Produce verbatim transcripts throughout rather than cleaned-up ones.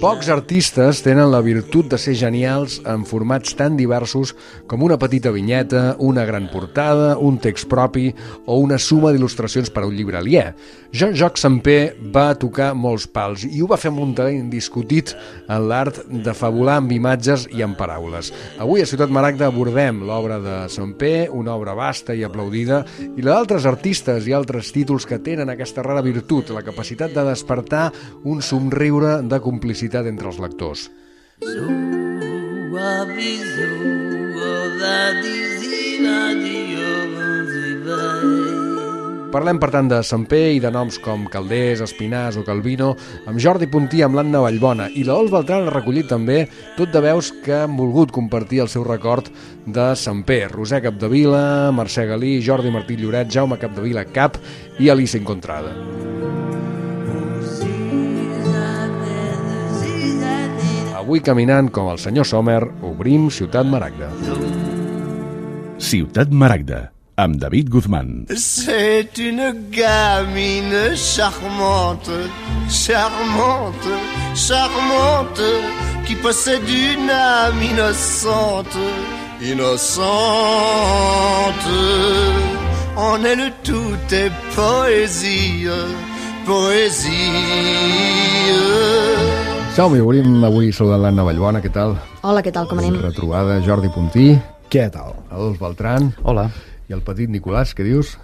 Pocs artistes tenen la virtut de ser genials en formats tan diversos com una petita vinyeta, una gran portada, un text propi o una suma d'il·lustracions per a un llibre aliè. Jean-Jacques Sempé va tocar molts pals i ho va fer amb un talent indiscutit en l'art de fabular amb imatges i amb paraules. Avui a Ciutat Maragda abordem l'obra de Sempé, una obra vasta i aplaudida, i la d'altres artistes i altres títols que tenen aquesta rara virtut, la capacitat de despertar un somriure de complicitat entre els lectors. Parlem, per tant, de Sempé i de noms com Calders, Espinàs o Calvino, amb Jordi Puntí, amb l'Anna Vallbona, i la Ols Beltrán ha recollit també tot de veus que han volgut compartir el seu record de Sempé. Roser Capdevila, Mercè Galí, Jordi Martí Lloret, Jaume Capdevila Cap i Alicia Encontrada. Avui, caminant com el senyor Sommer, obrim Ciutat Maragda. Ciutat Maragda, amb David Guzmán. C'est une gamine charmante, charmante, charmante, qui possède une âme innocente, innocente. En elle tout est poésie, poésie. Som-hi, obrim avui saludant l'Anna Vallbona, què tal? Hola, què tal, com anem? Retrobada, Jordi Puntí. Què tal? Ols Beltrán. Hola. I el petit Nicolàs, què dius?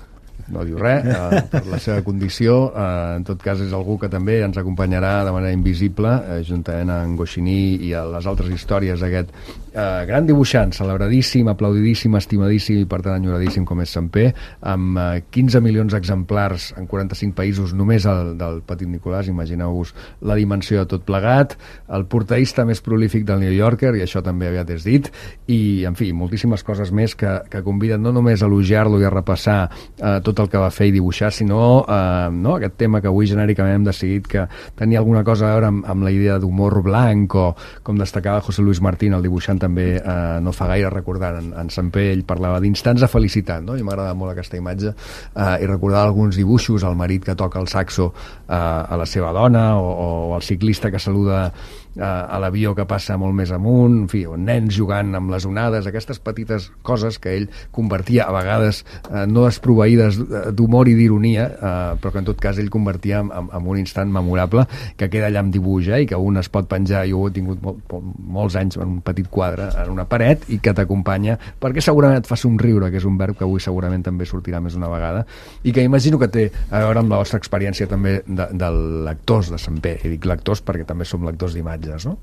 No diu res, eh, per la seva condició. Eh, en tot cas, és algú que també ens acompanyarà de manera invisible, eh, juntament amb Goscinny i a les altres històries d'aquest eh, gran dibuixant, celebradíssim, aplaudidíssim, estimadíssim i per tant enyoradíssim com és Sempé, amb eh, quinze milions d'exemplars en quaranta-cinc països, només el del petit Nicolàs. Imagineu-vos la dimensió de tot plegat, el portaista més prolífic del New Yorker, i això també aviat és dit, i, en fi, moltíssimes coses més que, que conviden no només a elogiar-lo i a repassar eh, tot el que va fer i dibuixar, sinó eh, no, aquest tema que avui genèricament hem decidit que tenia alguna cosa a veure amb, amb la idea d'humor blanc, o com destacava José Luis Martín, el dibuixant també eh, no fa gaire recordar en, en Sempé, ell parlava d'instants de felicitat, no? I m'agrada molt aquesta imatge, eh, i recordar alguns dibuixos, el marit que toca el saxo eh, a la seva dona, o, o el ciclista que saluda eh, a l'avió que passa molt més amunt, en fi, o nens jugant amb les onades, aquestes petites coses que ell convertia a vegades eh, no desproveïdes d'humor i d'ironia, eh, però que en tot cas ell convertia en, en, en un instant memorable que queda allà amb dibuix, eh, i que un es pot penjar, jo ho he tingut mol, molts anys en un petit quadre, en una paret, i que t'acompanya, perquè segurament et fa somriure, que és un verb que avui segurament també sortirà més d'una vegada, i que imagino que té a veure amb la vostra experiència també de, de lectors de Sempé, i dic lectors perquè també som lectors d'imatges, no?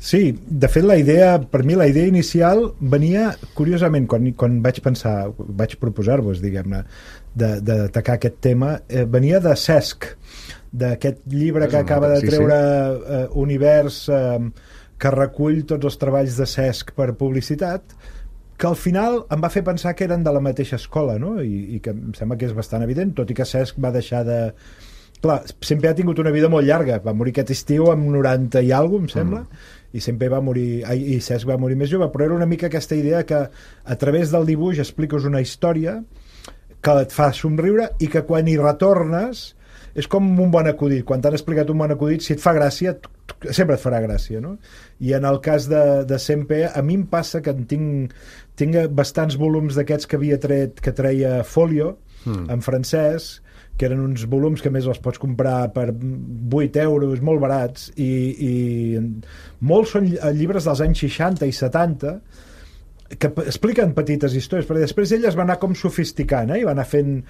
Sí, de fet la idea, per mi la idea inicial venia, curiosament, quan, quan vaig pensar, vaig proposar-vos, diguem-ne, d'atacar aquest tema, eh, venia de Cesc, d'aquest llibre que acaba de treure sí, sí. Eh, Univers, eh, que recull tots els treballs de Cesc per publicitat, que al final em va fer pensar que eren de la mateixa escola, no? I, i que em sembla que és bastant evident, tot i que Cesc va deixar de... Clar, sempre ha tingut una vida molt llarga, va morir aquest estiu amb noranta i alguna, em sembla, mm. i sempre va morir, i Cesc va morir més jove, però era una mica aquesta idea que a través del dibuix expliques una història que et fa somriure i que quan hi retornes és com un bon acudit. Quan t'han explicat un bon acudit, si et fa gràcia, sempre et farà gràcia, no? I en el cas de, de Sempé, a mi em passa que en tinc, tinc bastants volums d'aquests que havia tret, que treia Folio, mm. en francès, que eren uns volums que més els pots comprar per vuit euros, molt barats, i, i molts són llibres dels anys seixanta i setanta, que expliquen petites històries, perquè després ell es va anar com sofisticant, eh? I va anar fent...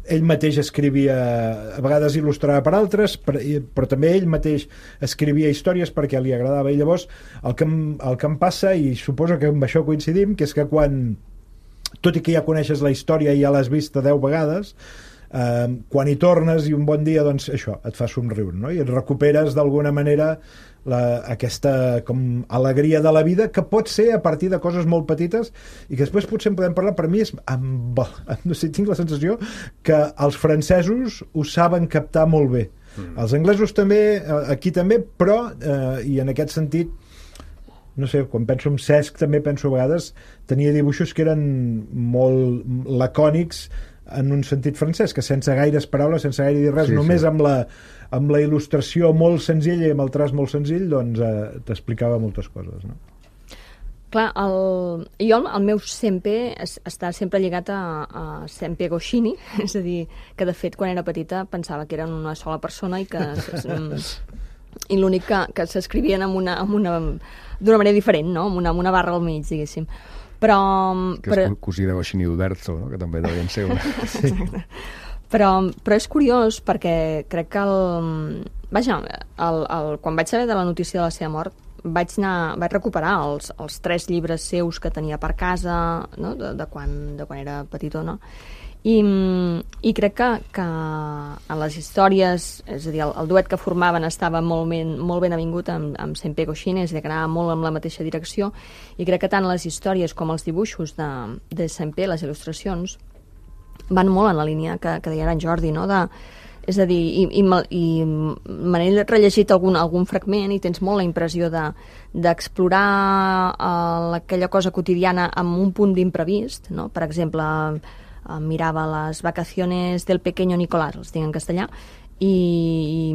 Ell mateix escrivia, a vegades il·lustrava per altres, però, però també ell mateix escrivia històries perquè li agradava. I llavors el que, em, el que em passa, i suposo que amb això coincidim, que és que quan, tot i que ja coneixes la història i ja l'has vist deu vegades, eh, quan hi tornes i un bon dia, doncs això, et fa somriure, no? I et recuperes d'alguna manera la, aquesta com alegria de la vida, que pot ser a partir de coses molt petites i que després potser en podem parlar. Per mi és amb, no sé, tinc la sensació que els francesos ho saben captar molt bé, mm. els anglesos també, aquí també, però eh, i en aquest sentit, no sé, quan penso en Cesc també penso a vegades tenia dibuixos que eren molt lacònics, en un sentit francès, que sense gaires paraules, sense gaire dir res, Sí, només sí. amb la, amb la il·lustració molt senzilla i amb el traç molt senzill, doncs eh, t'explicava moltes coses, no? Clar, el, jo el, el meu Sempe es, està sempre lligat a, a Sempe Goscinny, és a dir, que de fet quan era petita pensava que eren una sola persona i que i l'únic que, que s'escrivien amb una, amb una, d'una manera diferent, no? amb, una, amb una barra al mig, diguéssim. Però, Que però... és cosí de Goscinny d'Uderzo, no? Que també devien ser una... Sí. Però, però és curiós perquè crec que el, vaja, el, el, quan vaig saber de la notícia de la seva mort vaig, anar, vaig recuperar els, els tres llibres seus que tenia per casa, no? de, de, quan, de quan era petitona, i, i crec que, que en les històries, és a dir, el, el duet que formaven estava molt ben, molt ben avingut amb, amb Sempe Goscinny, és a dir, que anava molt amb la mateixa direcció, i crec que tant les històries com els dibuixos de, de Sempe, les il·lustracions, van molt en la línia que, que deia ara en Jordi, no? De, és a dir, i, i, i me n'he rellegit algun, algun fragment i tens molt la impressió de, d'explorar uh, aquella cosa quotidiana amb un punt d'imprevist, no? Per exemple, uh, mirava les vacaciones del pequeño Nicolás, els tinc en castellà, i, i,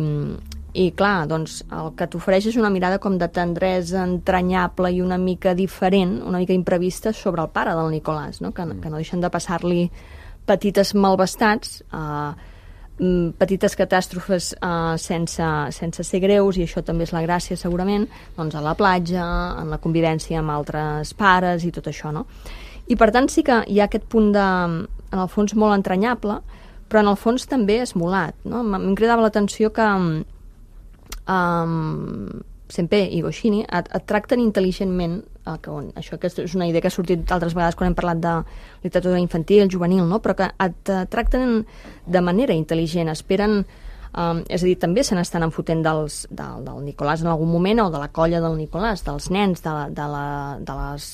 i clar, doncs el que t'ofereix és una mirada com de tendresa entranyable i una mica diferent, una mica imprevista sobre el pare del Nicolás, no? Que, que no deixen de passar-li petites malvestats, eh, petites catàstrofes uh, sense, sense ser greus, i això també és la gràcia segurament, doncs a la platja, en la convivència amb altres pares i tot això, no? I per tant sí que hi ha aquest punt de, en el fons molt entranyable, però en el fons també esmolat, no? Em cridava l'atenció que um, Sempe i Goscinny et, et tracten intel·ligentment, eh, que, on, això que és una idea que ha sortit altres vegades quan hem parlat de literatura infantil, juvenil, no? Però que et uh, tracten de manera intel·ligent, esperen, um, és a dir, també se n'estan enfotent dels, del, del Nicolàs en algun moment, o de la colla del Nicolàs, dels nens, de, la, de, la, de les...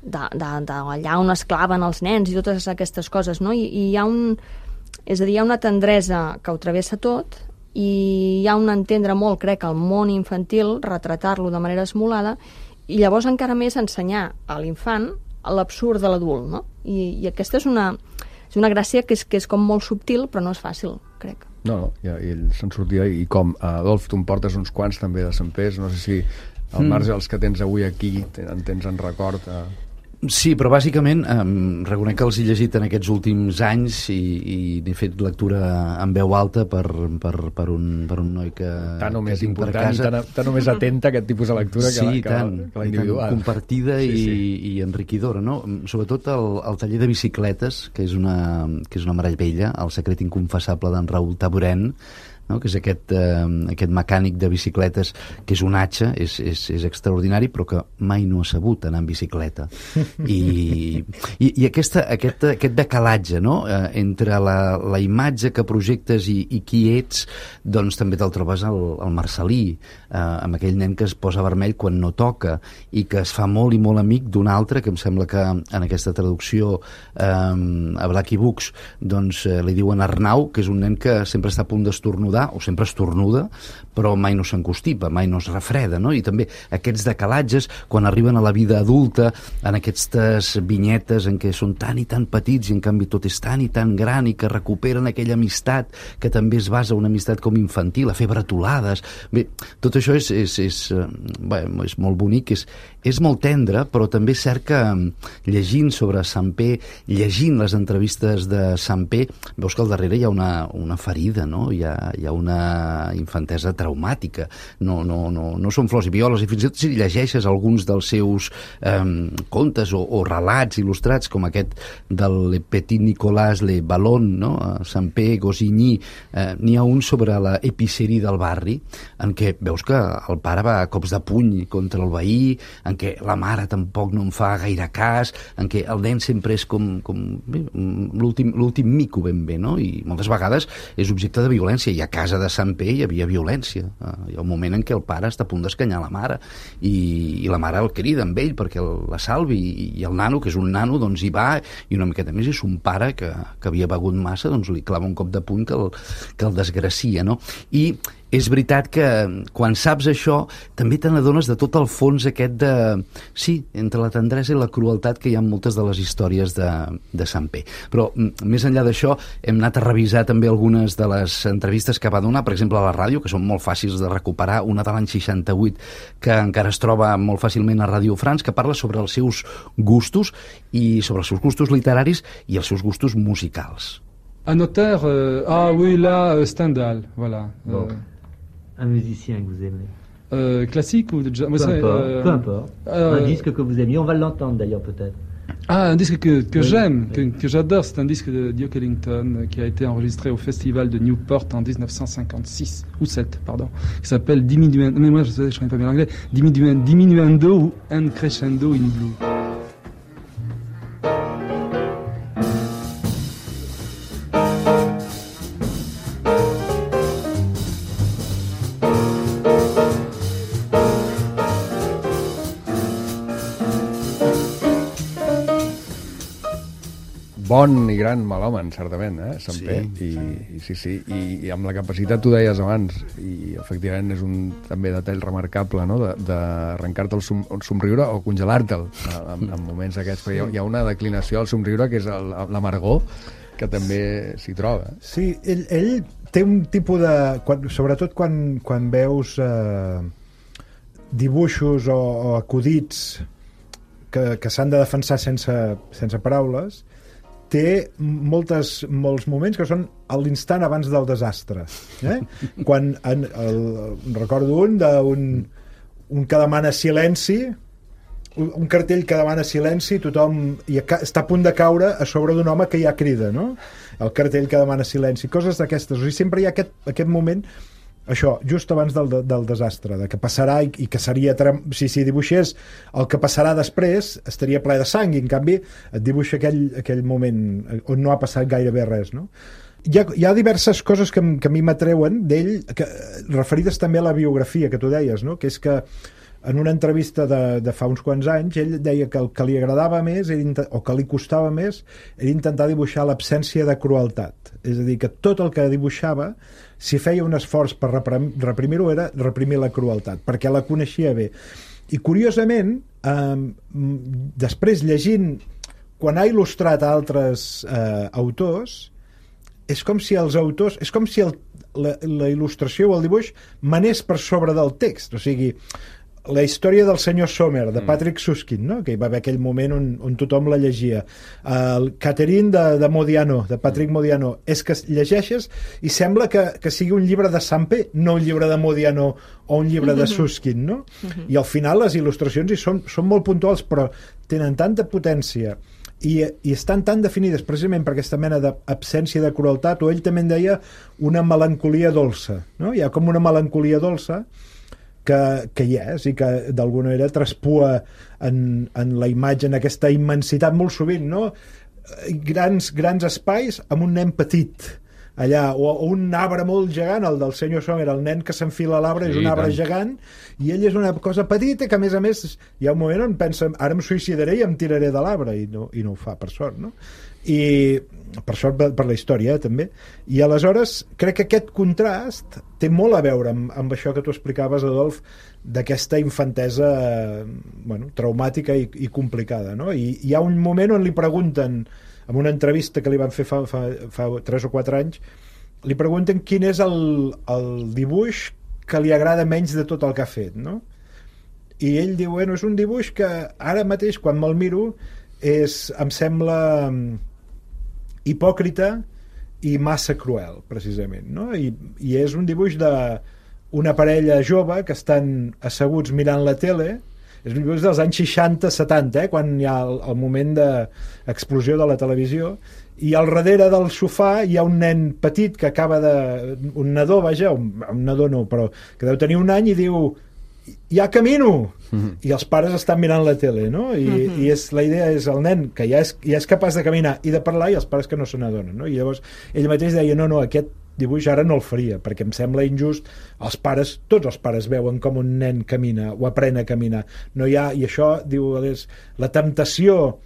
De, de, de allà on es claven els nens i totes aquestes coses, no? I, i hi ha un... És a dir, hi ha una tendresa que ho travessa tot, i hi ha un entendre molt, crec, el món infantil, retratar-lo de manera esmolada, i llavors encara més ensenyar a l'infant l'absurd de l'adult, no? I, i aquesta és una, és una gràcia que és, que és com molt subtil, però no és fàcil, crec. No, no, i, i ell se'n sortia, i com, Adolf, tu em portes uns quants també de Sempers, no sé si al marge dels que tens avui aquí en tens en record... Eh... Sí, però bàsicament eh, reconec que els he llegit en aquests últims anys i, i n'he fet lectura en veu alta per, per, per, un, per un noi que, tan o que més tinc per important, casa. Tan, tan o més atenta a aquest tipus de lectura sí, que, la, que, tant, la, que la individual. Tant compartida sí, sí. I, i enriquidora, no? Sobretot el, el taller de bicicletes, que és una, que és una meravella, El secret inconfessable d'en Raúl Taboret, no? Que és aquest, eh, aquest mecànic de bicicletes que és un atxa, és, és, és extraordinari, però que mai no ha sabut anar en bicicleta. I, i, i aquesta, aquest, aquest decalatge, no? eh, entre la, la imatge que projectes i, i qui ets, doncs també te'l trobes al, al Marcelí, eh, amb aquell nen que es posa vermell quan no toca i que es fa molt i molt amic d'un altre, que em sembla que en aquesta traducció eh, a Blacky Books doncs, eh, li diuen Arnau, que és un nen que sempre està a punt d'estornudar, o sempre estornuda, però mai no s'encostipa, mai no es refreda, no? I també aquests decalatges, quan arriben a la vida adulta, en aquestes vinyetes en què són tan i tan petits i en canvi tot és tan i tan gran i que recuperen aquella amistat que també es basa en una amistat com infantil, a fer bretolades. Bé, tot això és, és, és, bé, és molt bonic, és, és molt tendre, però també és cert que llegint sobre Semper, llegint les entrevistes de Semper, veus que al darrere hi ha una, una ferida, no? Hi ha, hi ha una infantesa traumàtica. No, no, no, no són flors i violes, i fins i tot si llegeixes alguns dels seus eh, contes o, o relats il·lustrats, com aquest del Le Petit Nicolas Le Ballon, no? Semper, Goscinny, eh, n'hi ha un sobre la epiceria del barri, en què veus que el pare va a cops de puny contra el veí, en què la mare tampoc no en fa gaire cas, en què el nen sempre és com, com l'últim, l'últim mico ben bé, no? I moltes vegades és objecte de violència, i a casa de Semper hi havia violència. Hi ha un moment en què el pare està a punt d'escanyar la mare i, i la mare el crida amb ell perquè el, la salvi, i, i el nano, que és un nano, doncs hi va, i una miqueta més és un pare que, que havia begut massa, doncs li clava un cop de puny que el, que el desgracia, no? I és veritat que quan saps això també te n'adones de tot el fons aquest de... Sí, entre la tendresa i la crueltat que hi ha en moltes de les històries de, de Sampé. Però més enllà d'això hem anat a revisar també algunes de les entrevistes que va donar, per exemple a la ràdio, que són molt fàcils de recuperar, una de l'any seixanta-vuit que encara es troba molt fàcilment a Radio France, que parla sobre els seus gustos i sobre els seus gustos literaris i els seus gustos musicals. Un auteur, euh, ah oui, là, euh, Stendhal, voilà. Bon. Euh, Un musicien que vous aimez. Euh, classique ou de jazz? Peu importe, euh, peu importe. Euh, un disque que vous aimiez, on va l'entendre d'ailleurs peut-être. Ah, un disque que, que oui, j'aime, oui. que, que j'adore, c'est un disque de Duke Ellington euh, qui a été enregistré au festival de Newport en dix-neuf cent cinquante-six, ou sept, pardon, qui s'appelle Diminuendo, mais moi je ne connais pas bien l'anglais, Diminuendo, Diminuendo ou Un Crescendo in Blue. Bon i gran malhomen, certament, eh, Sampé. Sí. I, i, sí, sí. I, I amb la capacitat, tu deies abans, i efectivament és un també detall remarcable, no?, d'arrencar-te el, som, el somriure o congelar-te'l en, en moments aquests. Però hi ha, hi ha una declinació al somriure que és l'amargor, que també s'hi troba. Sí, ell, ell té un tipus de... Quan, sobretot quan, quan veus eh, dibuixos o, o acudits que, que s'han de defensar sense, sense paraules, té moltes, molts moments que són a l'instant abans del desastre. Eh? Quan en, el, recordo un d'un un que demana silenci, un, un cartell que demana silenci, tothom i està a punt de caure a sobre d'un home que ja crida, no? El cartell que demana silenci, coses d'aquestes. O sigui, sempre hi ha aquest, aquest moment, això, just abans del, del desastre, de que passarà i, i que seria... Si, si dibuixés el que passarà després, estaria ple de sang, i en canvi et dibuixa aquell, aquell moment on no ha passat gairebé res, no? Hi ha, hi ha diverses coses que, que a mi m'atreuen d'ell, referides també a la biografia que tu deies, no? Que és que en una entrevista de, de fa uns quants anys ell deia que el que li agradava més era, o que li costava més era intentar dibuixar l'absència de crueltat, és a dir, que tot el que dibuixava, si feia un esforç per reprimir-ho, era reprimir la crueltat, perquè la coneixia bé. I curiosament, eh, després llegint, quan ha il·lustrat altres eh, autors, és com si els autors, és com si el, la, la il·lustració o el dibuix manés per sobre del text, o sigui, la història del senyor Sommer, de Patrick Süskind, no? Que hi va haver aquell moment on, on tothom la llegia. El Catherine de, de Modiano, de Patrick Modiano, és que llegeixes i sembla que, que sigui un llibre de Sampé, no un llibre de Modiano o un llibre de Süskind, no? I al final les il·lustracions hi són, són molt puntuals, però tenen tanta potència i, i estan tan definides precisament per aquesta mena d'absència de crueltat, o ell també en deia una melancolia dolça, no? Hi ha com una melancolia dolça que, que hi és i que d'alguna manera traspua en, en la imatge, en aquesta immensitat molt sovint, no? Grans, grans espais amb un nen petit allà, o, o un arbre molt gegant, el del senyor Sommer, el nen que s'enfila a l'arbre, sí, és un arbre tant. gegant, i ell és una cosa petita que a més a més hi ha un moment on pensa, ara em suïcidaré i em tiraré de l'arbre, i no, i no ho fa, per sort, no? I per sort per la història, eh, també. I aleshores crec que aquest contrast té molt a veure amb, amb això que tu explicaves, Adolf, d'aquesta infantesa eh, bueno, traumàtica i, i complicada, no? I hi ha un moment on li pregunten, en una entrevista que li van fer fa, fa, fa tres o quatre anys, li pregunten quin és el, el dibuix que li agrada menys de tot el que ha fet, no? I ell diu, bueno, és un dibuix que ara mateix, quan me'l miro, és, em sembla hipòcrita i massa cruel, precisament, no? I, i és un dibuix d'una parella jove que estan asseguts mirant la tele. És un dibuix dels anys seixanta setanta, eh, quan hi ha el, el moment d'explosió de la televisió, i al darrere del sofà hi ha un nen petit que acaba de... un nadó, vaja, un, un nadó no, però que deu tenir un any, i diu, ja camino! Mm-hmm. I els pares estan mirant la tele, no? I, mm-hmm. i és, la idea és el nen que ja és, ja és capaç de caminar i de parlar, i els pares que no se n'adonen, no? I llavors ell mateix deia, no, no, aquest dibuix ara no el faria, perquè em sembla injust. Els pares, tots els pares veuen com un nen camina o aprèn a caminar. No hi ha, i això, diu, és, la temptació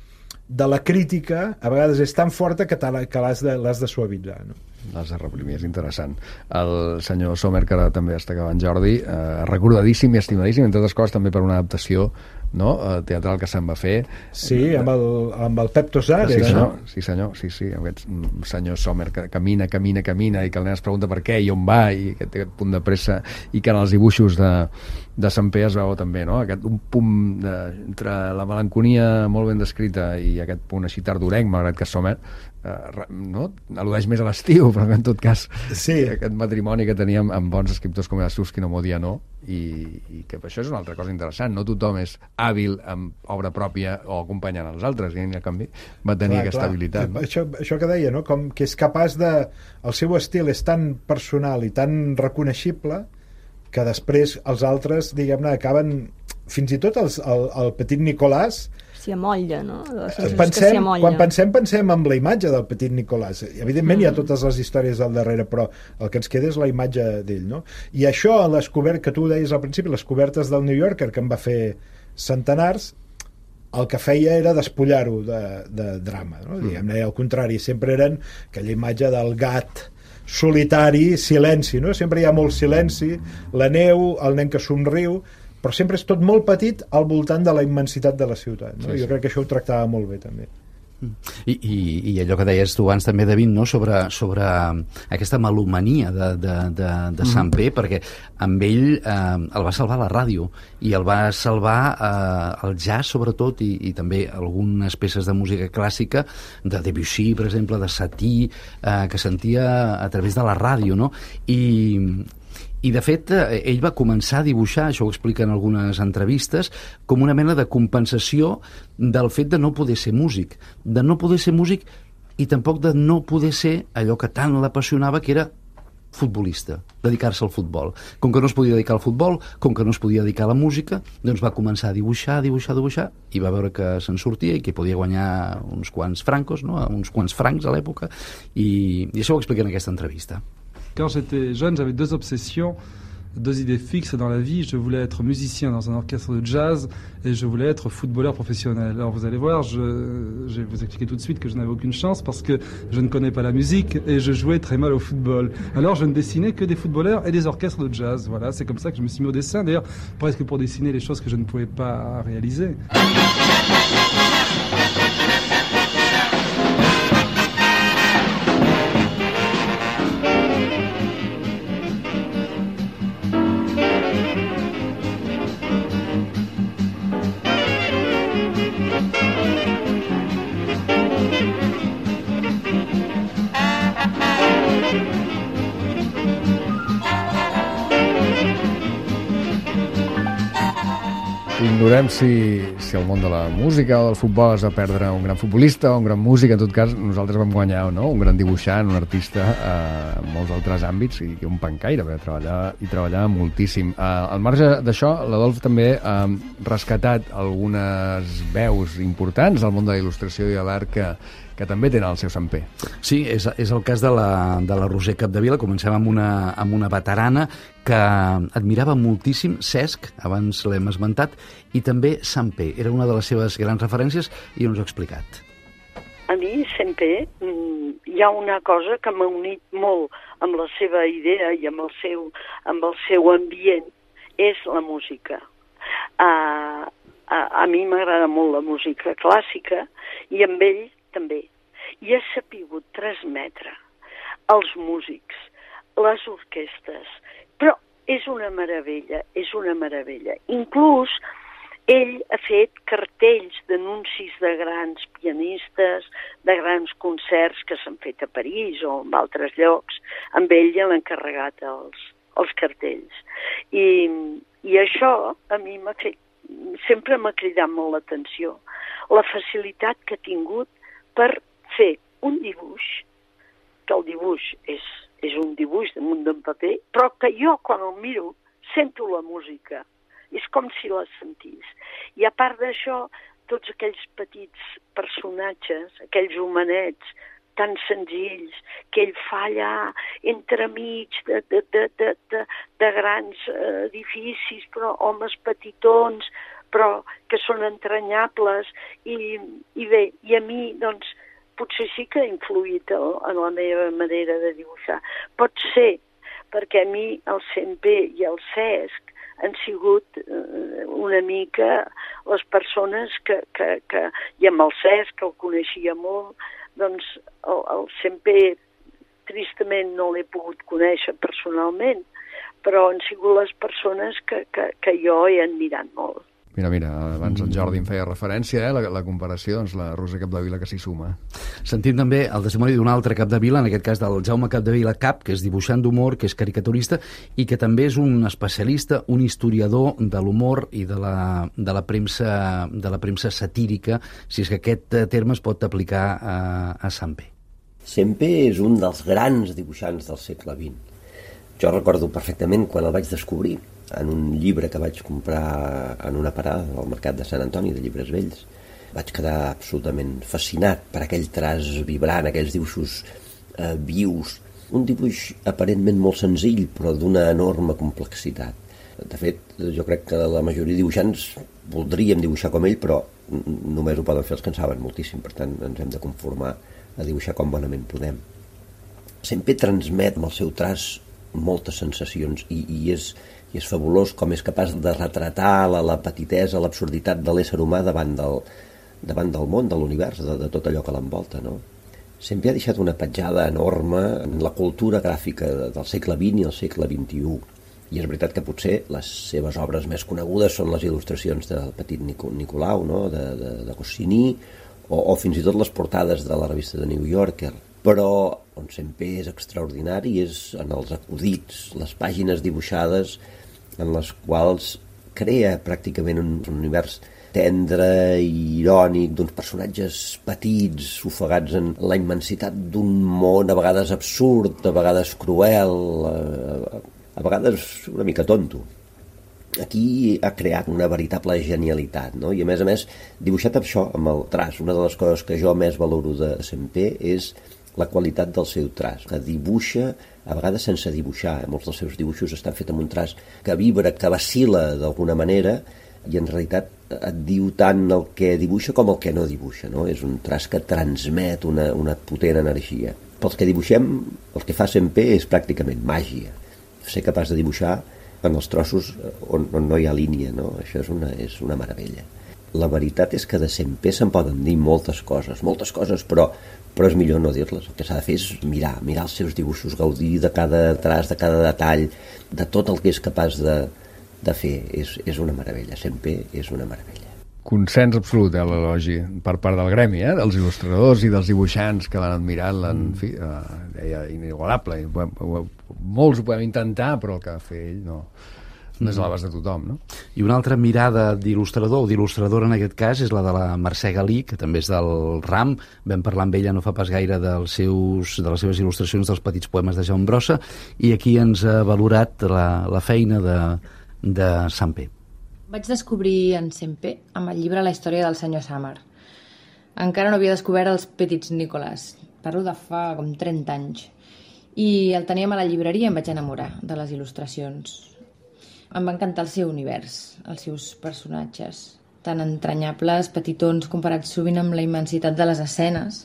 de la crítica a vegades és tan forta que, que l'has de, l'has de suavitzar, no? Les de reprimir, és interessant. El senyor Sommer, que ara també està acabant, Jordi, eh, recordadíssim i estimadíssim, entre altres coses també per una adaptació, no? Eh, teatral que se'n va fer. Sí, amb el, amb el Pep Tosar, sí, era, senyor, no? sí, senyor, sí, sí, aquest senyor Sommer que camina, camina, camina, i que el nen es pregunta per què i on va, i aquest, aquest punt de pressa, i que en els dibuixos de, de Sant Pere es veu també, no? Aquest, un punt de, entre la melanconia molt ben descrita i aquest punt així tardorenc, malgrat que Sommer eh, no? al·ludeix més a l'estiu, però en tot cas sí. aquest matrimoni que teníem amb bons escriptors com era Susskind o Modiano, i, i que això és una altra cosa interessant, no tothom és hàbil amb obra pròpia o acompanyant els altres, i en canvi va tenir clar, aquesta clar. habilitat. No? Això, això que deia, no? Com que és capaç de... El seu estil és tan personal i tan reconeixible que després els altres, diguem-ne, acaben... Fins i tot els, el, el petit Nicolàs... S'hi amolla, no? Pensem, quan pensem, pensem en la imatge del petit Nicolàs. Evidentment mm. hi ha totes les històries al darrere, però el que ens queda és la imatge d'ell, no? I això, les cobertes, que tu deies al principi, les cobertes del New Yorker, que en va fer centenars, el que feia era despullar-ho de, de drama, no? Mm. Diguem-ne, al contrari, sempre eren aquella imatge del gat solitari, silenci, no? Sempre hi ha molt silenci, la neu, el nen que somriu, però sempre és tot molt petit al voltant de la immensitat de la ciutat, no? Sí, sí. Jo crec que això ho tractava molt bé també. I, i, i allò que deies tu abans també, David, no? sobre, sobre aquesta melomania de, de, de, de mm. Sant P, perquè amb ell eh, el va salvar la ràdio i el va salvar eh, el jazz sobretot, i, i també algunes peces de música clàssica de Debussy, per exemple, de Satie, eh, que sentia a través de la ràdio, no? I I, de fet, ell va començar a dibuixar, això ho explica en algunes entrevistes, com una mena de compensació del fet de no poder ser músic, de no poder ser músic i tampoc de no poder ser allò que tant l'apassionava, que era futbolista, dedicar-se al futbol. Com que no es podia dedicar al futbol, com que no es podia dedicar a la música, doncs va començar a dibuixar, dibuixar, dibuixar, i va veure que se'n sortia i que podia guanyar uns quants francos, no? uns quants francs a l'època, i, i això ho explica en aquesta entrevista. Quand j'étais jeune, j'avais deux obsessions, deux idées fixes dans la vie. Je voulais être musicien dans un orchestre de jazz et je voulais être footballeur professionnel. Alors vous allez voir, je, je vais vous expliquer tout de suite que je n'avais aucune chance parce que je ne connais pas la musique et je jouais très mal au football. Alors je ne dessinais que des footballeurs et des orchestres de jazz. Voilà, c'est comme ça que je me suis mis au dessin, d'ailleurs presque pour dessiner les choses que je ne pouvais pas réaliser. Ignorem si, si el món de la música o del futbol es va perdre un gran futbolista o un gran músic. En tot cas, nosaltres vam guanyar, no? Un gran dibuixant, un artista eh, en molts altres àmbits, i un pencaire, perquè treballava, i treballava moltíssim. Eh, al marge d'això, l'Adolf també ha eh, rescatat algunes veus importants del món de la il·lustració i de l'art que, que també tenen el seu Sant P. Sí, és, és el cas de la, de la Roser Capdevila. Comencem amb una, amb una veterana que admirava moltíssim Cesc, abans l'hem esmentat, i també Sant P. Era una de les seves grans referències i ens ho ha explicat. A mi sempre hi ha una cosa que m'ha unit molt amb la seva idea i amb el seu, amb el seu ambient, és la música. Uh, a, a mi m'agrada molt la música clàssica i amb ell també. I ha sapigut transmetre als músics, les orquestres, però és una meravella, és una meravella. Inclús ell ha fet cartells d'anuncis de grans pianistes, de grans concerts que s'han fet a París o en altres llocs. Amb ell ja l'han encarregat els, els cartells. I, i això a mi m'ha fet, sempre m'ha cridat molt l'atenció. La facilitat que ha tingut per fer un dibuix, que el dibuix és, és un dibuix damunt d'un paper, però que jo quan el miro sento la música. És com si la sentís. I a part d'això, tots aquells petits personatges, aquells homenets tan senzills que ell fa allà entremig de, de, de, de, de, de grans edificis, però homes petitons, però que són entranyables. I, i bé, i a mi, doncs, potser sí que ha influït en la meva manera de dibuixar. Pot ser, perquè a mi el Sempé i el Cesc han sigut una mica les persones que, que, que i amb el Cesc, que el coneixia molt, doncs el, el Sempé tristament no l'he pogut conèixer personalment, però han sigut les persones que, que, que jo he admirat molt. Mira, mira, abans en Jordi em feia referència, eh, la, la comparació, doncs la Rosa Capdevila que s'hi suma. Sentim també el testimoni d'un altre Capdevila, en aquest cas del Jaume Capdevila Cap, que és dibuixant d'humor, que és caricaturista i que també és un especialista, un historiador de l'humor i de la, de la premsa de la premsa satírica, si és que aquest terme es pot aplicar a, a Sempé. Sempé és un dels grans dibuixants del segle vint. Jo recordo perfectament quan el vaig descobrir en un llibre que vaig comprar en una parada al mercat de Sant Antoni de llibres vells. Vaig quedar absolutament fascinat per aquell traç vibrant, aquells dibuixos eh, vius, un dibuix aparentment molt senzill però d'una enorme complexitat. De fet, jo crec que la majoria de dibuixants voldríem dibuixar com ell, però només ho poden fer els que en saben moltíssim, per tant ens hem de conformar a dibuixar com bonament podem. Sempre transmet amb el seu traç moltes sensacions i, i, és, i és fabulós com és capaç de retratar la, la petitesa, l'absurditat de l'ésser humà davant del, davant del món, de l'univers, de, de tot allò que l'envolta, no? Sempre ha deixat una petjada enorme en la cultura gràfica del segle vint i el segle vint-i-u. I és veritat que potser les seves obres més conegudes són les il·lustracions del petit Nicolau, no? de, de, de Goscinny, o, o fins i tot les portades de la revista de New Yorker. Però on sempre és extraordinari és en els acudits, les pàgines dibuixades en les quals crea pràcticament un, un univers tendre i irònic d'uns personatges petits, ofegats en la immensitat d'un món a vegades absurd, a vegades cruel, a, a vegades una mica tonto. Aquí ha creat una veritable genialitat, no? I a més a més dibuixat amb això, amb el traç. Una de les coses que jo més valoro de Sempé és la qualitat del seu traç, que dibuixa a vegades sense dibuixar. Molts dels seus dibuixos estan fets amb un traç que vibra, que vacil·la d'alguna manera i en realitat et diu tant el que dibuixa com el que no dibuixa, no? És un traç que transmet una, una potent energia. Pels que dibuixem, el que fa Sempé és pràcticament màgia. Ser capaç de dibuixar en els trossos on, on no hi ha línia, no? Això és una, és una meravella. La veritat és que de Sempé se'n poden dir moltes coses, moltes coses, però, però és millor no dir-les. El que s'ha de fer és mirar, mirar els seus dibuixos, gaudir de cada traç, de cada detall, de tot el que és capaç de, de fer. És, és una meravella, Sempé és una meravella. Consens absolut, eh, l'elogi, per part del gremi, eh, dels il·lustradors i dels dibuixants que l'han admirat, l'han, en fi, eh, deia inigualable. Molts ho podem intentar, però el que va fer ell no... no és a l'abast de tothom, no? I una altra mirada d'il·lustrador o d'il·lustradora en aquest cas és la de la Mercè Galí, que també és del RAM. Vam parlar amb ella no fa pas gaire dels seus, de les seves il·lustracions dels petits poemes de Jaume Brossa, i aquí ens ha valorat la, la feina de, de Sempé. Vaig descobrir en Sempé amb el llibre La història del senyor Summer. Encara no havia descobert els petits Nicolàs. Parlo de fa com trenta anys. I el teníem a la llibreria i em vaig enamorar de les il·lustracions. Em va encantar el seu univers, els seus personatges, tan entranyables, petitons, comparats sovint amb la immensitat de les escenes.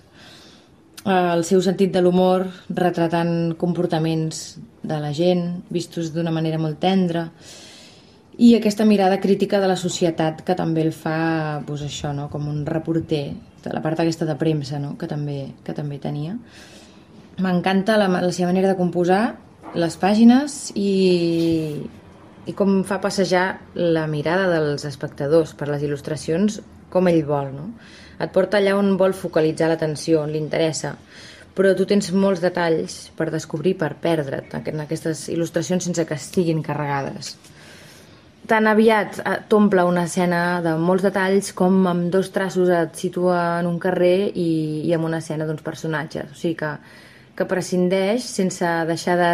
El seu sentit de l'humor, retratant comportaments de la gent, vistos d'una manera molt tendra, i aquesta mirada crítica de la societat que també el fa, doncs això, no? Com un reporter, de la part aquesta de premsa, no? que, també, que també tenia. M'encanta la, la seva manera de composar les pàgines i... i com fa passejar la mirada dels espectadors per les il·lustracions com ell vol, no? Et porta allà on vol focalitzar l'atenció, on li interessa, però tu tens molts detalls per descobrir, per perdre't en aquestes il·lustracions sense que estiguin carregades. Tan aviat t'omple una escena de molts detalls com amb dos traços et situa en un carrer i, i amb una escena d'uns personatges. O sigui que, que prescindeix sense deixar de,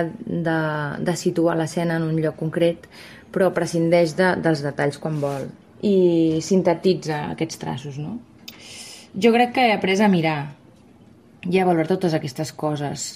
de, de situar l'escena en un lloc concret, però prescindeix de, dels detalls quan vol i sintetitza aquests traços, no? Jo crec que he après a mirar i a valorar totes aquestes coses.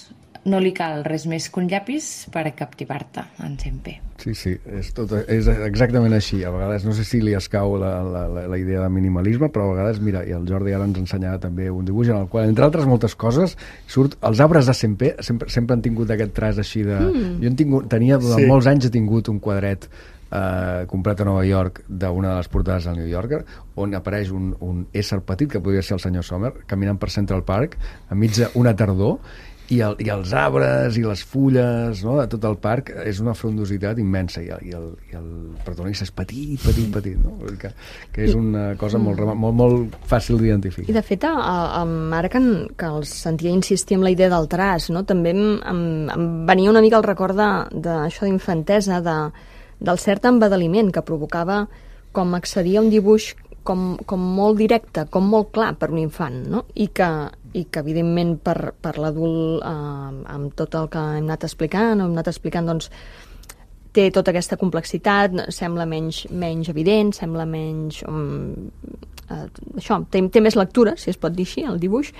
no li cal res més que un llapis per captivar-te, en Sempé. Sí, sí, és, tot, és exactament així. A vegades no sé si li escau la, la, la idea de minimalisme, però a vegades, mira, i el Jordi ara ens ensenyava també un dibuix en el qual, entre altres moltes coses, surt els arbres de Sempé, sempre, sempre han tingut aquest traç així de... Mm. Jo en tingut, tenia, durant sí. molts anys he tingut un quadret eh, comprat a Nova York d'una de les portades del New Yorker, on apareix un, un ésser petit, que podria ser el senyor Sommer, caminant per Central Park, enmig d'una tardor, i, el, i els arbres i les fulles, no?, de tot el parc és una frondositat immensa, i el, i el, i el protagonista és petit, petit, petit, no? Que, que és una cosa molt, molt, molt fàcil d'identificar. I de fet, a, a, ara que, que els sentia insistir en la idea del traç, no?, també em, em, em venia una mica el record d'això d'infantesa, de, del cert embadaliment que provocava com accedir a un dibuix com, com molt directe, com molt clar per un infant, no?, i que i que evidentment per, per l'adult eh, amb tot el que hem anat explicant hem anat explicant, doncs té tota aquesta complexitat, sembla menys, menys evident, sembla menys um, eh, això, té, té més lectura, si es pot dir així, el dibuix,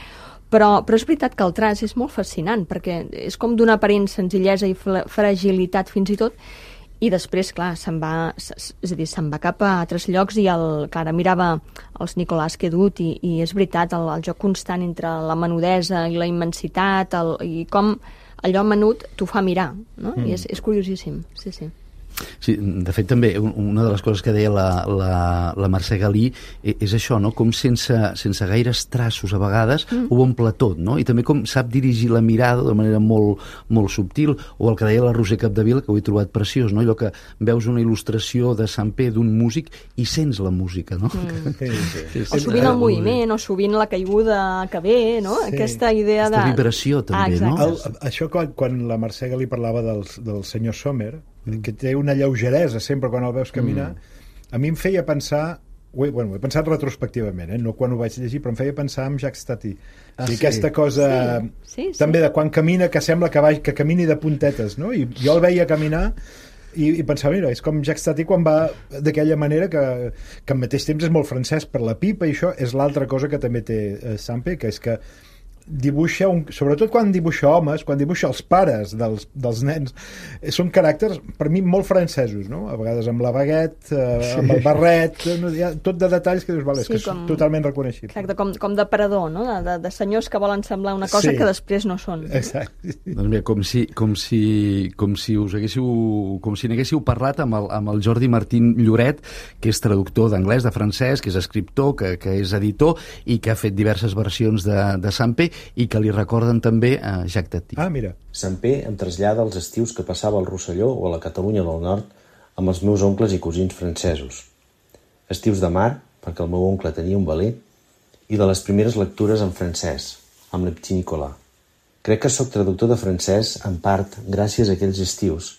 però, però és veritat que el traç és molt fascinant, perquè és com d'una aparent senzillesa i fragilitat fins i tot, i després, clar, se'n va, és a dir, se'n va cap a altres llocs i el, clar, mirava els Nicolàs que he dut i, i és veritat, el, el joc constant entre la menudesa i la immensitat el, i com allò menut t'ho fa mirar, no? Mm. I és, és curiosíssim, sí, sí. Sí, de fet també una de les coses que deia la, la, la Mercè Galí és això, no?, com sense, sense gaires traços a vegades mm. ho omple tot, no?, i també com sap dirigir la mirada de manera molt, molt subtil, o el que deia la Roser Capdevila, que ho he trobat preciós, no?, allò que veus una il·lustració de Sempé d'un músic i sents la música, no? Mm. Sí, sí. Sí, o sovint el moviment, o sovint la caiguda que ve, no?, sí. Aquesta idea de... Aquesta vibració també, ah, no? El, això quan, quan la Mercè Galí parlava dels, del senyor Sommer, que té una lleugeresa sempre quan el veus caminar, mm. a mi em feia pensar, ho he, bueno, ho he pensat retrospectivament, eh? No quan ho vaig llegir, però em feia pensar en Jacques Tati. Ah, sí. Aquesta cosa sí. Sí, sí. també de quan camina, que sembla que, va, que camini de puntetes, no? I jo el veia caminar i, i pensava, mira, és com Jacques Tati quan va d'aquella manera que, que al mateix temps és molt francès per la pipa, i això és l'altra cosa que també té eh, Sempé, que és que dibuixa, un, sobretot quan dibuixa homes, quan dibuixa els pares dels, dels nens, són caràcters per mi molt francesos, no? A vegades amb la baguette, eh, sí. amb el barret, no? Hi ha tot de detalls que dius, vale, sí, és que com, és totalment reconeixible. Exacte, com, com d'aparador, no? De, de, de senyors que volen semblar una cosa sí. que després no són. Exacte. Doncs mira, com si, com si, com si us haguéssiu, com si n'haguéssiu parlat amb el, amb el Jordi Martín Lloret, que és traductor d'anglès, de francès, que és escriptor, que, que és editor i que ha fet diverses versions de, de Sempé i que li recorden també a Jacques Tati. Ah, mira. Sempé em trasllada als estius que passava al Rosselló o a la Catalunya del Nord amb els meus oncles i cosins francesos. Estius de mar, perquè el meu oncle tenia un veler, i de les primeres lectures en francès, amb le Petit Nicolas. Crec que sóc traductor de francès, en part, gràcies a aquells estius,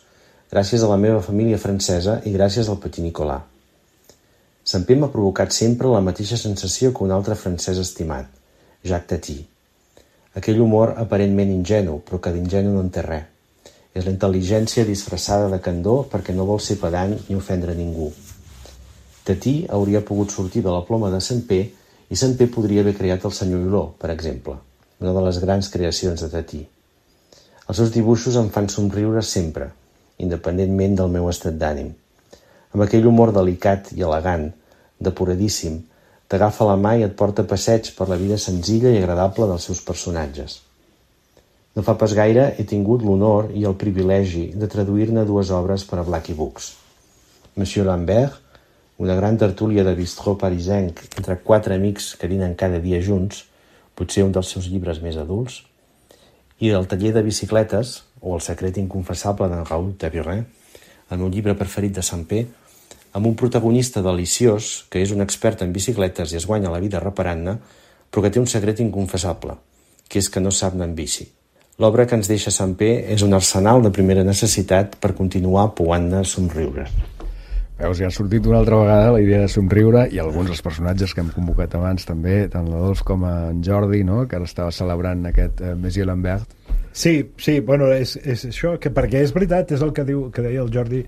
gràcies a la meva família francesa i gràcies al Petit Nicolas. Sempé m'ha provocat sempre la mateixa sensació que un altre francès estimat, Jacques Tati. Aquell humor aparentment ingenu, però que d'ingenu no en té res. És la intel·ligència disfressada de candor perquè no vol ser pedant ni ofendre ningú. Tati hauria pogut sortir de la ploma de Sempé i Sempé podria haver creat el senyor Hulot, per exemple, una de les grans creacions de Tati. Els seus dibuixos em fan somriure sempre, independentment del meu estat d'ànim. Amb aquell humor delicat i elegant, depuradíssim, t'agafa la mà i et porta a passeig per la vida senzilla i agradable dels seus personatges. No fa pas gaire he tingut l'honor i el privilegi de traduir-ne dues obres per a Blackie Books. Monsieur Lambert, una gran tertúlia de bistró parisenc entre quatre amics que dinen cada dia junts, potser un dels seus llibres més adults, i El taller de bicicletes, o El secret inconfessable d'en Raoul Taburin, el meu llibre preferit de Sempé, amb un protagonista deliciós que és un expert en bicicletes i es guanya la vida reparant-ne, però que té un secret inconfessable, que és que no sap anar en bici. L'obra que ens deixa Sempé és un arsenal de primera necessitat per continuar pouant-ne somriure. Veus, ja ha sortit una altra vegada la idea de somriure i alguns dels personatges que hem convocat abans també, tant l'Adolf com en Jordi, no?, que ara estava celebrant aquest eh, Monsieur Lambert. Sí, sí, bueno, és, és això, que perquè és veritat, és el que diu que deia el Jordi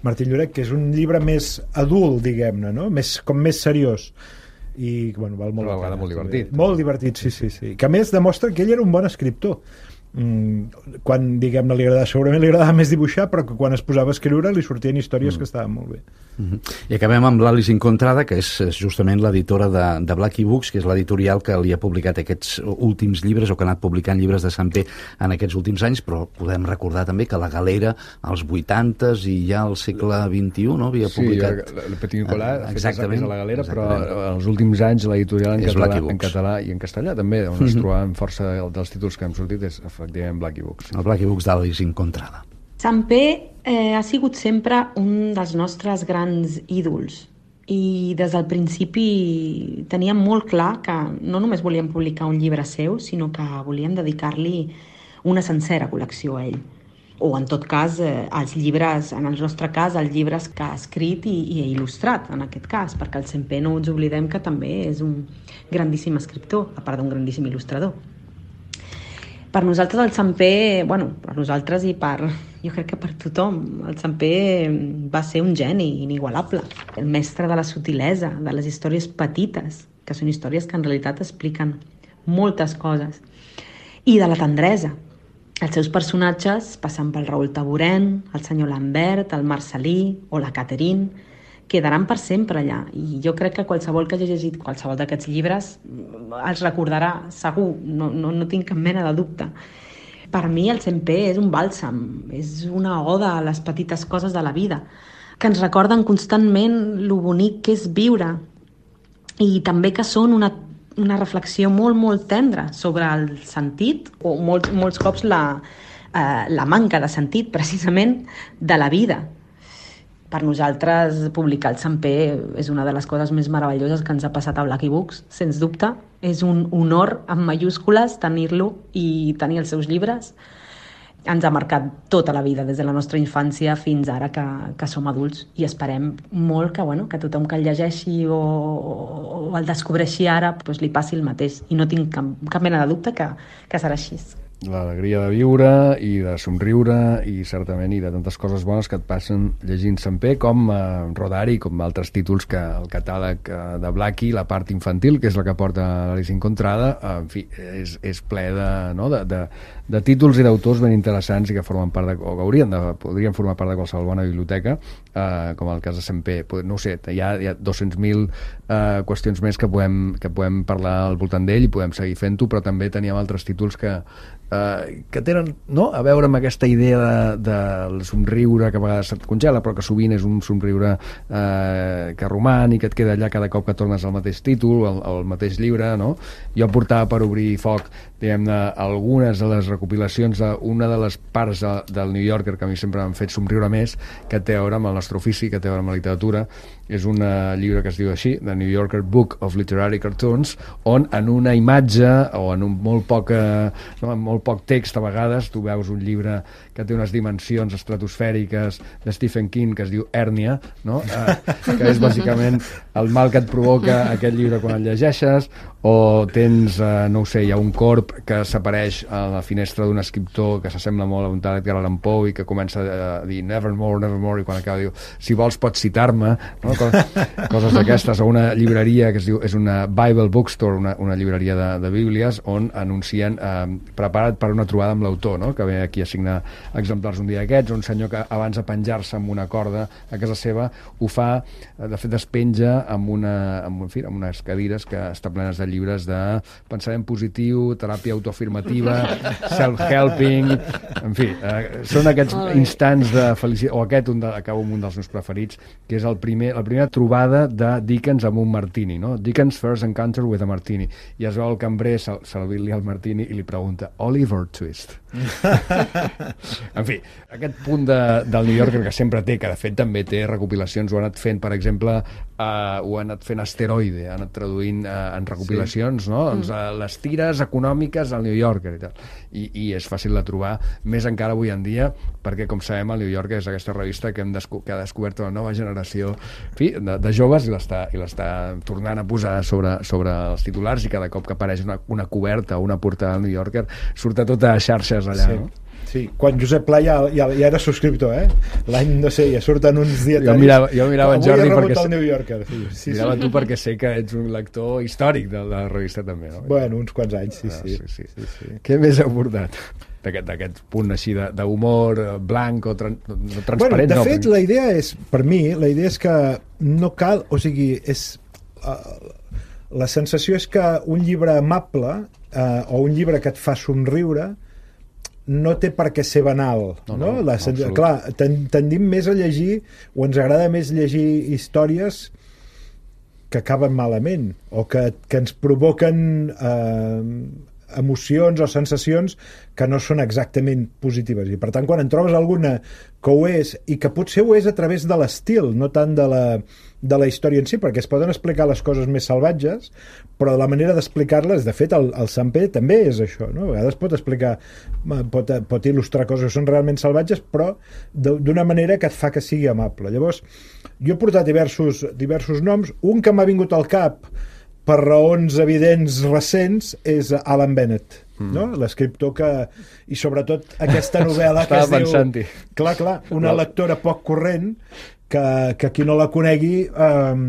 Martín Lloret, que és un llibre més adult, diguem-ne, no? Més, com més seriós. I, bueno, val molt la pena. Molt divertit. Molt divertit, sí, sí, sí. Que a més demostra que ell era un bon escriptor. mm, quan, diguem-ne, li agradava, segurament li agradava més dibuixar, però que quan es posava a escriure li sortien històries mm. que estaven molt bé. Mm-hmm. I acabem amb l'Alice Incontrada, que és justament l'editora de, de Blackie Books, que és l'editorial que li ha publicat aquests últims llibres, o que ha anat publicant llibres de Sant P en aquests últims anys, però podem recordar també que la Galera als vuitantes i ja al segle vint-i-u, no?, havia publicat... Sí, el Petit Nicolas, exactament, a la Galera, exactament. Però els últims anys l'editorial en, català, en català i en castellà també, on Mm-hmm. es trobaven força dels títols que hem sortit, és efectivament Blackie Books. El Blackie Books d'Alice Incontrada. Sant P eh, ha sigut sempre un dels nostres grans ídols i des del principi teníem molt clar que no només volíem publicar un llibre seu, sinó que volíem dedicar-li una sencera col·lecció a ell. O, en tot cas, eh, els llibres, en el nostre cas, els llibres que ha escrit i, i ha il·lustrat, en aquest cas, perquè el Sant P no ens oblidem que també és un grandíssim escriptor, a part d'un grandíssim il·lustrador. Per nosaltres el Sant P, bueno, per nosaltres i per, jo crec que per tothom, el Sant P va ser un geni inigualable. El mestre de la sutilesa, de les històries petites, que són històries que en realitat expliquen moltes coses, i de la tendresa. Els seus personatges, passant pel Raül Taborén, el senyor Lambert, el Marcelí o la Catherine, quedaran per sempre allà. I jo crec que qualsevol que hagi llegit qualsevol d'aquests llibres els recordarà, segur, no, no, no tinc cap mena de dubte. Per mi el Sant P és un bàlsam, és una oda a les petites coses de la vida, que ens recorden constantment lo bonic que és viure i també que són una, una reflexió molt, molt tendra sobre el sentit, o molts, molts cops la, eh, la manca de sentit, precisament, de la vida. Per nosaltres, publicar el Sant P és una de les coses més meravelloses que ens ha passat a Blackie Books, sens dubte. És un honor, amb mayúscules, tenir-lo i tenir els seus llibres. Ens ha marcat tota la vida, des de la nostra infància fins ara que, que som adults, i esperem molt que, bueno, que tothom que el llegeixi o, o el descobreixi ara pues, li passi el mateix. I no tinc cap, cap mena de dubte que, que serà així. L'alegria de viure i de somriure i certament i de tantes coses bones que et passen llegint Sant P, com eh, Rodari, com altres títols que el catàleg eh, de Blackie, la part infantil, que és la que porta l'Alice Incontrada, eh, en fi, és, és ple de, no, de, de, de títols i d'autors ben interessants i que formen part de, o que haurien de, podrien formar part de qualsevol bona biblioteca, eh, com el cas de Sant P. No ho sé, hi ha, hi ha dos-cents mil eh, qüestions més que podem, que podem parlar al voltant d'ell i podem seguir fent-ho, però també teníem altres títols que Uh, que tenen, no?, a veure amb aquesta idea de, del somriure que a vegades se't congela, però que sovint és un somriure uh, que roman i que et queda allà cada cop que tornes al mateix títol, al, al mateix llibre, no? Jo portava per obrir foc, diguem-ne, algunes de les recopilacions d'una de les parts de, del New Yorker que a mi sempre m'han fet somriure més, que té a veure amb el nostre ofici, que té a veure amb la literatura. És un uh, llibre que es diu així, The New Yorker Book of Literary Cartoons, on en una imatge o en un molt poc, uh, no, en molt poc text a vegades tu veus un llibre que té unes dimensions estratosfèriques de Stephen King que es diu Hèrnia, no? Uh, que és bàsicament el mal que et provoca aquest llibre quan el llegeixes, o tens, uh, no ho sé, hi ha un corp que s'apareix a la finestra d'un escriptor que s'assembla molt a un tal Edgar Allan Poe i que comença a dir nevermore, nevermore, i quan acaba diu si vols pots citar-me, no? Coses, coses d'aquestes, o una llibreria que es diu, és una Bible Bookstore, una, una llibreria de, de bíblies, on anuncien eh, prepara't per una trobada amb l'autor, no? Que ve aquí a signar exemplars un dia d'aquests, un senyor que abans de penjar-se amb una corda a casa seva ho fa, de fet es penja amb, una, amb, en fi, amb unes cadires que estan plenes de llibres de pensament positiu, teràpia autoafirmativa, self-helping, en fi, eh, són aquests instants de felicitat, o aquest un de, acabo amb un dels meus preferits, que és el primer, la primera trobada de Dickens amb un martini, no? Dickens first encounter with a martini, i es veu el cambrer servir-li el martini i li pregunta Oliver Twist. En fi, aquest punt de, del New Yorker que sempre té, que de fet també té recopilacions, ho ha anat fent, per exemple, uh, ho ha anat fent Asteroide, ha anat traduint uh, en recopilacions, sí. No? Doncs, uh, les tires econòmiques al New Yorker i tal. I, i és fàcil de trobar, més encara avui en dia, perquè, com sabem, el New Yorker és aquesta revista que, hem desco que ha descobert una nova generació, en fi, de, de joves, i l'està i l'està tornant a posar sobre, sobre els titulars, i cada cop que apareix una, una coberta o una portada del New Yorker surt a tota xarxes allà, sí. No? Sí, quan Josep Pla ja, ja, ja era subscriptor, eh? L'any, no sé, ja surten uns dietaris. Jo mirava, jo mirava en Jordi perquè... El New Yorker, sí. Sí, mirava sí. Tu perquè sé que ets un lector històric de la revista també, no? Bueno, uns quants anys, sí, ah, sí. sí, sí. sí, sí. Què més heu portat? d'aquest punt així d'humor blanc o tran no, transparent. Bueno, de no, fet, però... la idea és, per mi, la idea és que no cal, o sigui, és, uh, la sensació és que un llibre amable uh, o un llibre que et fa somriure no té per què ser banal, no? no, no la, no clar, tendim més a llegir, o ens agrada més llegir històries que acaben malament, o que, que ens provoquen eh, emocions o sensacions que no són exactament positives. I per tant, quan en trobes alguna que ho és, i que potser ho és a través de l'estil, no tant de la, de la història en si, perquè es poden explicar les coses més salvatges, però la manera d'explicar-les, de fet, el, el Sant Pere també és això, no? A vegades pot explicar, pot, pot il·lustrar coses que són realment salvatges, però d'una manera que et fa que sigui amable. Llavors, jo he portat diversos, diversos noms. Un que m'ha vingut al cap per raons evidents recents és Alan Bennett, mm. no? L'escriptor que... I sobretot aquesta novel·la que es diu... Clar, clar, una lectora poc corrent que, que qui no la conegui eh,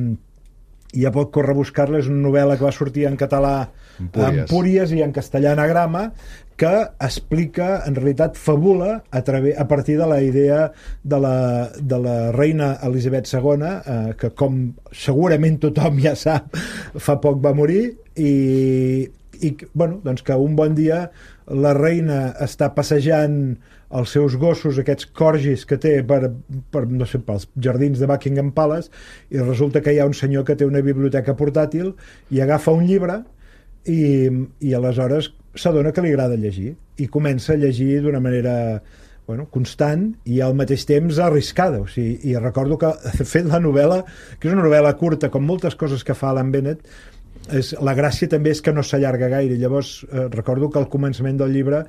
ja pot córrer a buscar-la. És una novel·la que va sortir en català en Empúries i en castellà Anagrama, que explica, en realitat fabula a, través, a partir de la idea de la, de la reina Elisabet segona, eh, que com segurament tothom ja sap, fa poc va morir, i, i bueno, doncs que un bon dia la reina està passejant els seus gossos, aquests corgis que té per, per, no sé, pels jardins de Buckingham Palace, i resulta que hi ha un senyor que té una biblioteca portàtil i agafa un llibre i, i aleshores s'adona que li agrada llegir i comença a llegir d'una manera bueno, constant i al mateix temps arriscada. O sigui, i recordo que de fet la novel·la, que és una novel·la curta com moltes coses que fa Alan Bennett, és, la gràcia també és que no s'allarga gaire. Llavors eh, recordo que al començament del llibre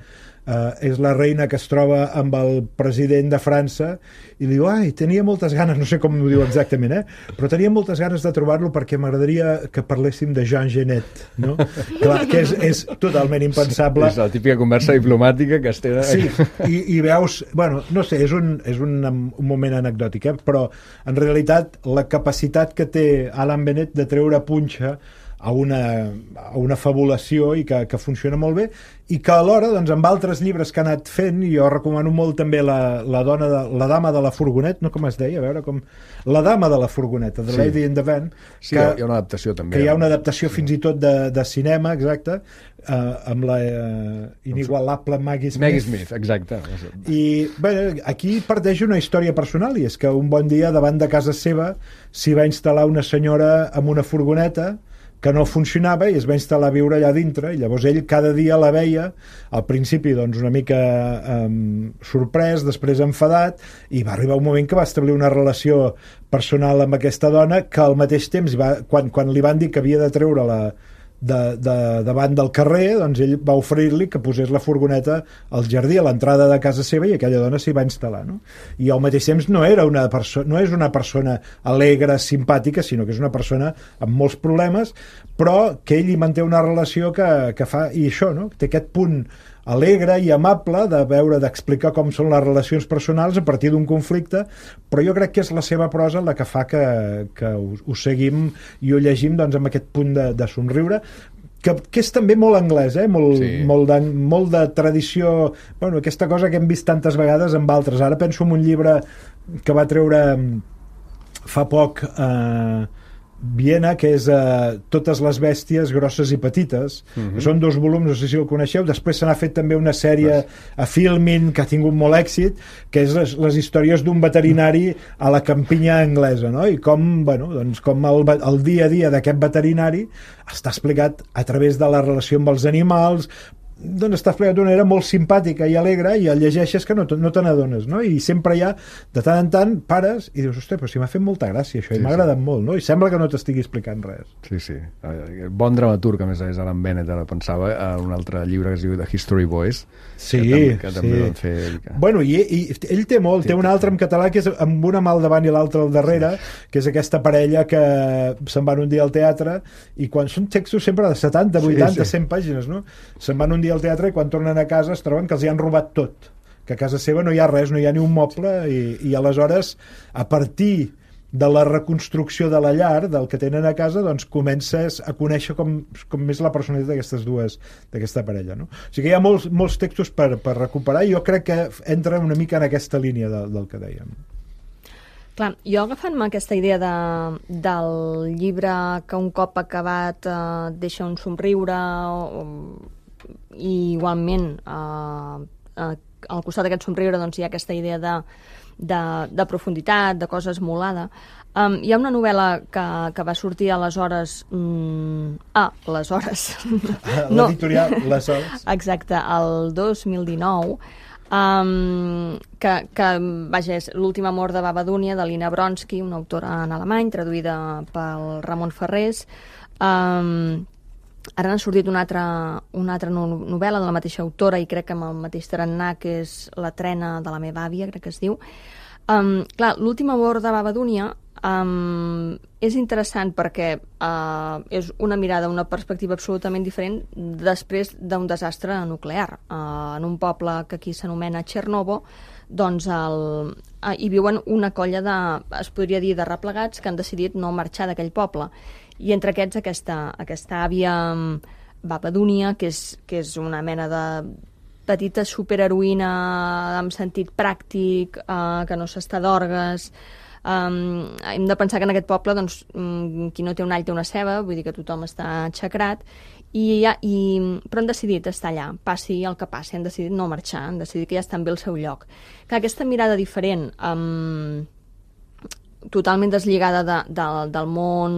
eh, és la reina que es troba amb el president de França i li diu, ai, tenia moltes ganes, no sé com ho diu exactament, eh? però tenia moltes ganes de trobar-lo perquè m'agradaria que parléssim de Jean Genet, no? Clar, que és, és totalment impensable. És la típica conversa diplomàtica que es té... Sí, i, i veus, bueno, no sé, és un, és un, un moment anecdòtic, eh? però en realitat la capacitat que té Alan Bennett de treure punxa a una, a una fabulació i que, que funciona molt bé, i que alhora doncs, amb altres llibres que ha anat fent, i jo recomano molt també la, la, dona de, la dama de la furgonet, no com es deia, a veure com... La dama de la furgoneta, The sí. Lady in the Van, sí, que, hi ha una adaptació també. Que hi ha una adaptació fins i tot de, de cinema, exacte, eh, amb la eh, inigualable Maggie Smith. Maggie Smith, exacte. I bé, aquí parteix una història personal, i és que un bon dia davant de casa seva s'hi va instal·lar una senyora amb una furgoneta que no funcionava i es va instal·lar a viure allà dintre, i llavors ell cada dia la veia, al principi doncs una mica um, sorprès, després enfadat, i va arribar un moment que va establir una relació personal amb aquesta dona, que al mateix temps va, quan, quan li van dir que havia de treure la de, de, davant del carrer, doncs ell va oferir-li que posés la furgoneta al jardí, a l'entrada de casa seva, i aquella dona s'hi va instal·lar, no? I al mateix temps no era una persona, no és una persona alegre, simpàtica, sinó que és una persona amb molts problemes, però que ell hi manté una relació que, que fa, i això, no? Té aquest punt alegre i amable de veure, d'explicar com són les relacions personals a partir d'un conflicte, però jo crec que és la seva prosa la que fa que, que ho, ho seguim i ho llegim doncs, amb aquest punt de, de somriure, que, que és també molt anglès, eh? molt, sí. molt, de, molt de tradició, bueno, aquesta cosa que hem vist tantes vegades amb altres. Ara penso en un llibre que va treure fa poc eh, Viena, que és uh, Totes les bèsties grosses i petites, uh-huh. que són dos volums, no sé si el coneixeu. Després se n'ha fet també una sèrie a Filmin que ha tingut molt èxit, que és les, les històries d'un veterinari a la campinya anglesa, no? I com, bueno, doncs, com el, el dia a dia d'aquest veterinari està explicat a través de la relació amb els animals, doncs està explicat d'una manera molt simpàtica i alegre, i el llegeixes que no, no te n'adones, no? I sempre hi ha, de tant en tant, pares i dius, ostres, però si m'ha fet molta gràcia això, sí, i m'ha agradat sí. molt, no? I sembla que no t'estigui explicant res. Sí, sí. Bon dramaturg, a més a més, Alan Bennett, ara pensava, en un altre llibre que es diu The History Boys, sí, que també, que sí. també van fer... Que... Bueno, i, i ell té molt, té un altre en català que és amb una mà al davant i l'altra al darrere, sí. que és aquesta parella que se'n van un dia al teatre, i quan són textos sempre de setanta, vuitanta, sí, sí. cent pàgines, no? Se'n van un dia al teatre i quan tornen a casa es troben que els hi han robat tot, que a casa seva no hi ha res, no hi ha ni un moble, i, i aleshores a partir de la reconstrucció de la llar, del que tenen a casa, doncs comences a conèixer com, com més la personalitat d'aquestes dues, d'aquesta parella, no? O sigui que hi ha molts, molts textos per, per recuperar i jo crec que entra una mica en aquesta línia de, del que dèiem. Clar, jo agafant-me aquesta idea de, del llibre que un cop acabat eh, deixa un somriure o, i igualment eh, eh, al costat d'aquest somriure doncs, hi ha aquesta idea de, de, de profunditat, de cosa esmolada. Um, hi ha una novel·la que, que va sortir aleshores... Mm, ah, aleshores. L'editorial, no. Aleshores. Exacte, el dos mil dinou, Um, que, que vaja, és L'últim amor de Babadúnia, de Lina Bronsky, una autora en alemany, traduïda pel Ramon Ferrés. Um, ara n'ha sortit una altra, una altra novel·la de la mateixa autora i crec que amb el mateix tarannà, que és La trena de la meva àvia, crec que es diu. Um, clar, L'últim amor de Babadúnia um, és interessant perquè uh, és una mirada, una perspectiva absolutament diferent després d'un desastre nuclear. Uh, en un poble que aquí s'anomena Chernobyl, doncs el, uh, hi viuen una colla de, es podria dir, de replegats que han decidit no marxar d'aquell poble. I entre aquests aquesta, aquesta àvia um, Babadúnia, que és, que és una mena de petita superheroïna en sentit pràctic, uh, que no s'està d'orgues. Um, hem de pensar que en aquest poble doncs, um, qui no té un all té una ceba, vull dir que tothom està xacrat, i, ja, i, però han decidit estar allà, passi el que passi, han decidit no marxar, han decidit que ja estan bé al seu lloc. Que aquesta mirada diferent, um, totalment deslligada de, de, del món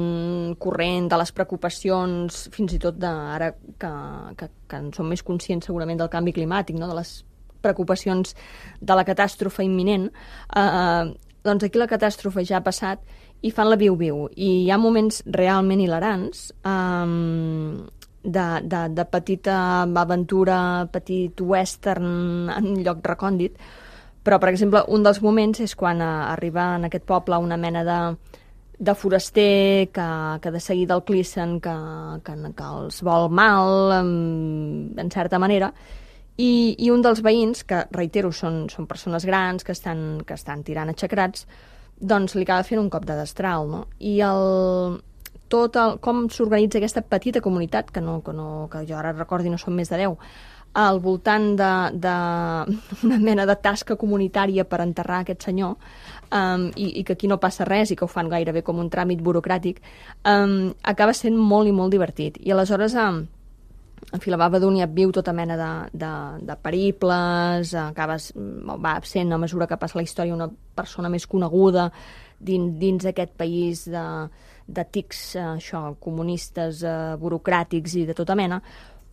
corrent, de les preocupacions, fins i tot de, ara que, que, que en som més conscients segurament del canvi climàtic, no? De les preocupacions de la catàstrofe imminent, eh, doncs aquí la catàstrofe ja ha passat i fan la viu-viu. I hi ha moments realment hilarants, um, de, de, de petita aventura, petit western en un lloc recòndit, però, per exemple, un dels moments és quan uh, arriba en aquest poble una mena de, de foraster que, que de seguida el clissen, que, que, que els vol mal, um, en certa manera, I, i un dels veïns, que, reitero, són, són persones grans que estan, que estan tirant aixecrats, doncs li acaba fent un cop de destral, no? I el, tot el, com s'organitza aquesta petita comunitat, que, no, que, no, que jo ara recordi no són més de deu, al voltant d'una mena de tasca comunitària per enterrar aquest senyor, um, i, i que aquí no passa res i que ho fan gairebé com un tràmit burocràtic, um, acaba sent molt i molt divertit. I aleshores... Um, en fi, la Babadúnia viu tota mena de, de, de periples, acabes, va absent a mesura que passa la història una persona més coneguda dins, dins aquest país de, de tics això, comunistes, eh, burocràtics i de tota mena,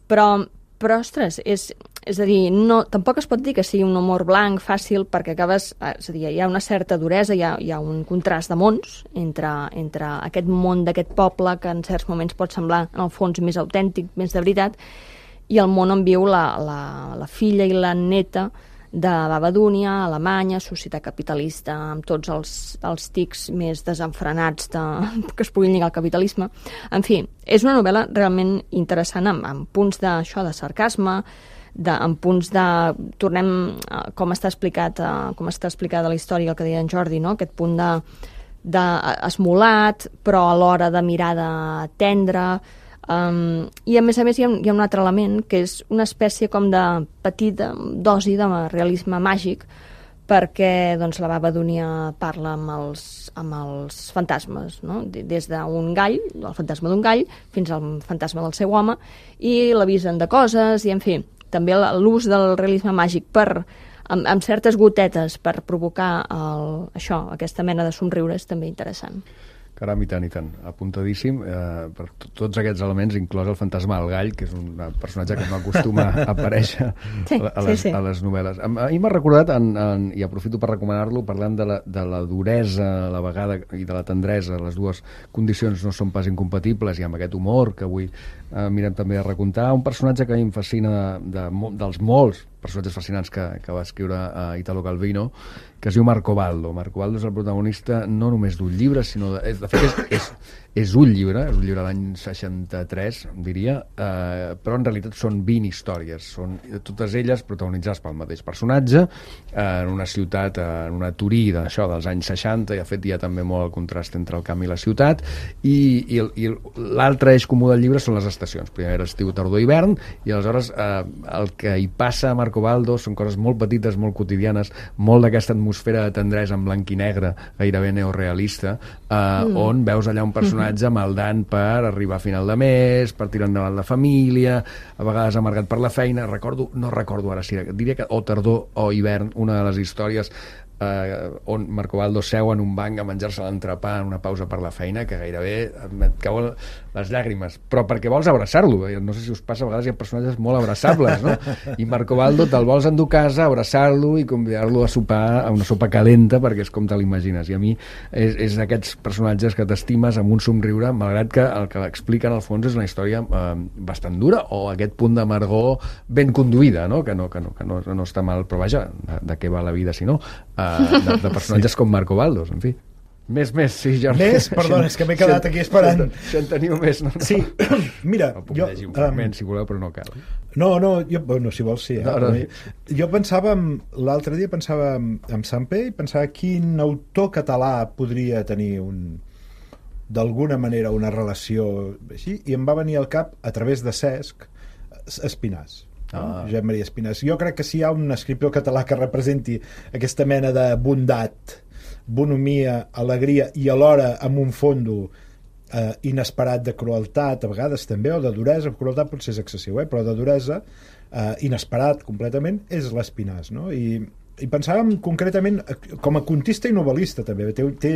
però, però ostres, és, és a dir, no, tampoc es pot dir que sigui un humor blanc, fàcil, perquè acabes, és a dir, hi ha una certa duresa, hi ha, hi ha un contrast de mons entre, entre aquest món d'aquest poble, que en certs moments pot semblar, en el fons, més autèntic, més de veritat, i el món on viu la, la, la filla i la neta de Babadúnia, Alemanya, societat capitalista, amb tots els, els tics més desenfrenats de, que es puguin lligar al capitalisme. En fi, és una novel·la realment interessant, amb, amb punts d'això, de sarcasme, de, amb punts de... Tornem a com està explicat, a, com està explicada la història, el que deia en Jordi, no? Aquest punt de, de esmolat, però alhora de mirada tendra. Um, I a més a més hi ha, hi ha un altre element que és una espècie com de petita dosi de realisme màgic, perquè doncs, la Babadúnia parla amb els, amb els fantasmes, no? Des d'un gall, el fantasma d'un gall, fins al fantasma del seu home, i l'avisen de coses, i en fi, també l'ús del realisme màgic per, amb, amb certes gotetes per provocar el, això, aquesta mena de somriures, també interessant. Caram, i tant, i tant. Apuntadíssim eh, per tots aquests elements, inclòs el fantasma del gall, que és un personatge que no acostuma a aparèixer sí, a, les, sí, sí. a les novel·les. A, a mi m'ha recordat, en, en, i aprofito per recomanar-lo, parlant de la, de la duresa a la vegada i de la tendresa, les dues condicions no són pas incompatibles, i amb aquest humor que avui eh, mirem també a recontar, un personatge que a mi em fascina de, de, dels molts personatges fascinants que, que va escriure a Italo Calvino, que es diu Marco Baldo. Marco Baldo és el protagonista no només d'un llibre, sinó de, de fet és, és, és un llibre, és un llibre de l'any seixanta-tres, diria, eh, però en realitat són vint històries, són totes elles protagonitzades pel mateix personatge, eh, en una ciutat, eh, en una Turí d'això dels anys seixanta, i de fet hi ha també molt el contrast entre el camp i la ciutat, i, i, i l'altre eix comú del llibre són les estacions, primer estiu, tardor, hivern, i aleshores eh, el que hi passa a Marco Baldo són coses molt petites, molt quotidianes, molt d'aquesta atmosfera de tendresa en blanc i negre, gairebé neorealista, eh, mm. on veus allà un personatge maldant per arribar a final de mes, per tirar endavant la família, a vegades amargat per la feina. Recordo, no recordo ara si diria que o tardor o hivern, una de les històries eh, on Marco Baldo seu en un banc a menjar-se l'entrepà en una pausa per la feina, que gairebé et cauen les llàgrimes, però perquè vols abraçar-lo. No sé si us passa, a vegades hi ha personatges molt abraçables, no? I Marco Baldo te'l vols endur a casa, abraçar-lo i convidar-lo a sopar, a una sopa calenta, perquè és com te l'imagines. I a mi és, és d'aquests personatges que t'estimes amb un somriure, malgrat que el que explica en el fons és una història eh, bastant dura, o aquest punt d'amargor ben conduïda, no? Que, no, que, no, que no, no està mal, però vaja, de, de què va la vida si no? Eh, de, de personatges sí. com Marco Baldo, en fi. Més, més, sí, Jordi. Més? Perdona, és que m'he quedat aquí esperant. Si en teniu més, no? no. Sí, mira... No puc jo, llegir un fragment, um, si voleu, però no cal. No, no, jo, bueno, si vols, sí. Eh? No, no. Jo pensava, l'altre dia pensava en Sampé i pensava quin autor català podria tenir un d'alguna manera una relació així, i em va venir al cap, a través de Cesc, Espinàs. Ah. Josep Maria Espinàs. Jo crec que si hi ha un escriptor català que representi aquesta mena de bondat, bonomia, alegria i alhora amb un fondo eh, inesperat de crueltat, a vegades també, o de duresa, crueltat potser és excessiu, eh? Però de duresa, eh, inesperat completament, és l'Espinàs, no? I, i pensàvem concretament com a contista i novel·lista també, té, té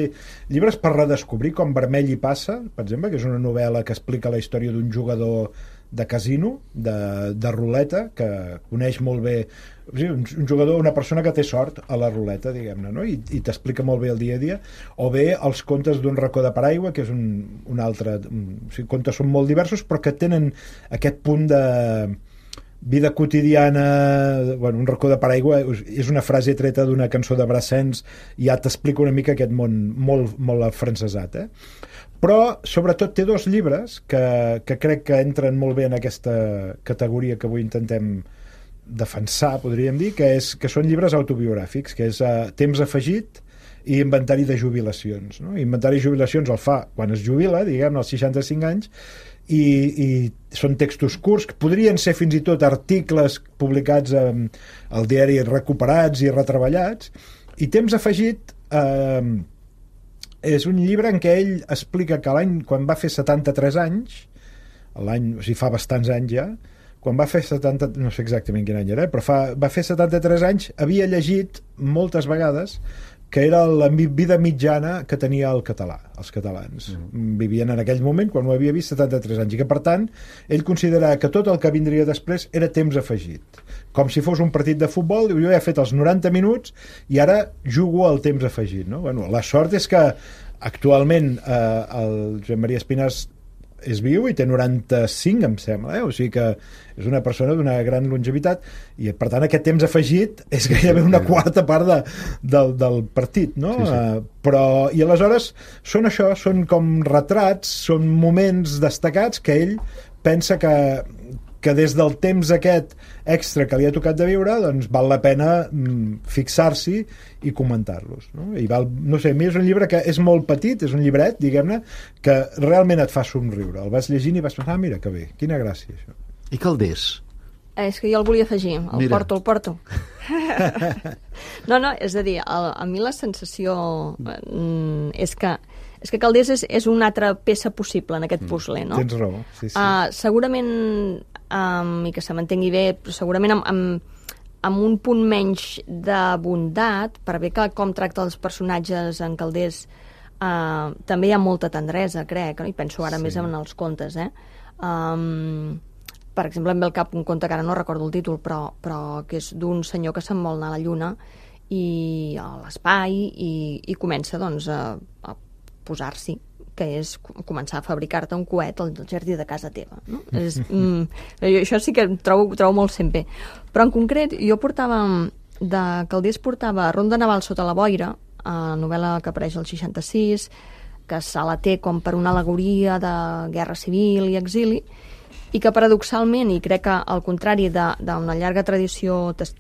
llibres per redescobrir, com Vermell hi passa, per exemple, que és una novel·la que explica la història d'un jugador de casino, de, de ruleta, que coneix molt bé, un, un jugador, una persona que té sort a la ruleta, diguem-ne, no? I, i t'explica molt bé el dia a dia, o bé els contes d'un racó de paraigua, que és un, un altre, un, o sigui, contes són molt diversos, però que tenen aquest punt de vida quotidiana, bueno, un racó de paraigua és una frase treta d'una cançó de Brassens, i ja t'explica una mica aquest món molt, molt afrancesat, eh? Però sobretot té dos llibres que, que crec que entren molt bé en aquesta categoria que avui intentem defensar, podríem dir, que, és, que són llibres autobiogràfics, que és uh, Temps afegit i Inventari de jubilacions, no? Inventari de jubilacions el fa quan es jubila, diguem, als seixanta-cinc anys, i, i són textos curts, que podrien ser fins i tot articles publicats um, al diari recuperats i retreballats, i Temps afegit eh, és un llibre en què ell explica que l'any, quan va fer setanta-tres anys, l'any, o sigui, fa bastants anys ja, quan va fer setanta, no sé exactament quin any era, però fa, va fer setanta-tres anys, havia llegit moltes vegades que era la vida mitjana que tenia el català, els catalans. Mm. Vivien en aquell moment, quan ho havia vist, setanta-tres anys, i que, per tant, ell considerava que tot el que vindria després era temps afegit. Com si fos un partit de futbol, jo he fet els noranta minuts i ara jugo al temps afegit, no? Bueno, la sort és que actualment eh, el Josep Maria Espinàs és viu i té noranta-cinc, em sembla, eh? O sigui que és una persona d'una gran longevitat, i per tant aquest temps afegit és gairebé una quarta part de, del, del partit, no? Sí, sí. Uh, però, i aleshores són això, són com retrats, són moments destacats que ell pensa que que des del temps aquest extra que li ha tocat de viure, doncs val la pena mm, fixar-s'hi i comentar-los, no? I val, no sé, a mi és un llibre que és molt petit, és un llibret, diguem-ne, que realment et fa somriure. El vas llegint i vas pensar, ah, mira, que bé, quina gràcia, això. I Calders? Eh, és que jo el volia afegir, el mira. porto, el porto. no, no, és a dir, a, a mi la sensació mm, és que És que Calders és, és una altra peça possible en aquest puzzle, no? Tens raó, sí, sí. Uh, segurament, um, i que se m'entengui bé, però segurament amb, amb, amb un punt menys de bondat, per bé que com tracta els personatges en Calders uh, també hi ha molta tendresa, crec, no? I penso ara sí. més en els contes, eh? Um, per exemple, em ve al cap un conte que ara no recordo el títol, però, però que és d'un senyor que se'n vol anar a la Lluna i a l'espai i, i comença, doncs, a, a posar-s'hi que és començar a fabricar-te un coet al jardí de casa teva. No? És, mm, això sí que trobo, trobo molt sempre. Però en concret, jo portava, de Calders portava Ronda Naval sota la boira, a novel·la que apareix al seixanta-sis, que se la té com per una al·legoria de guerra civil i exili, i que paradoxalment, i crec que al contrari d'una llarga tradició, tes,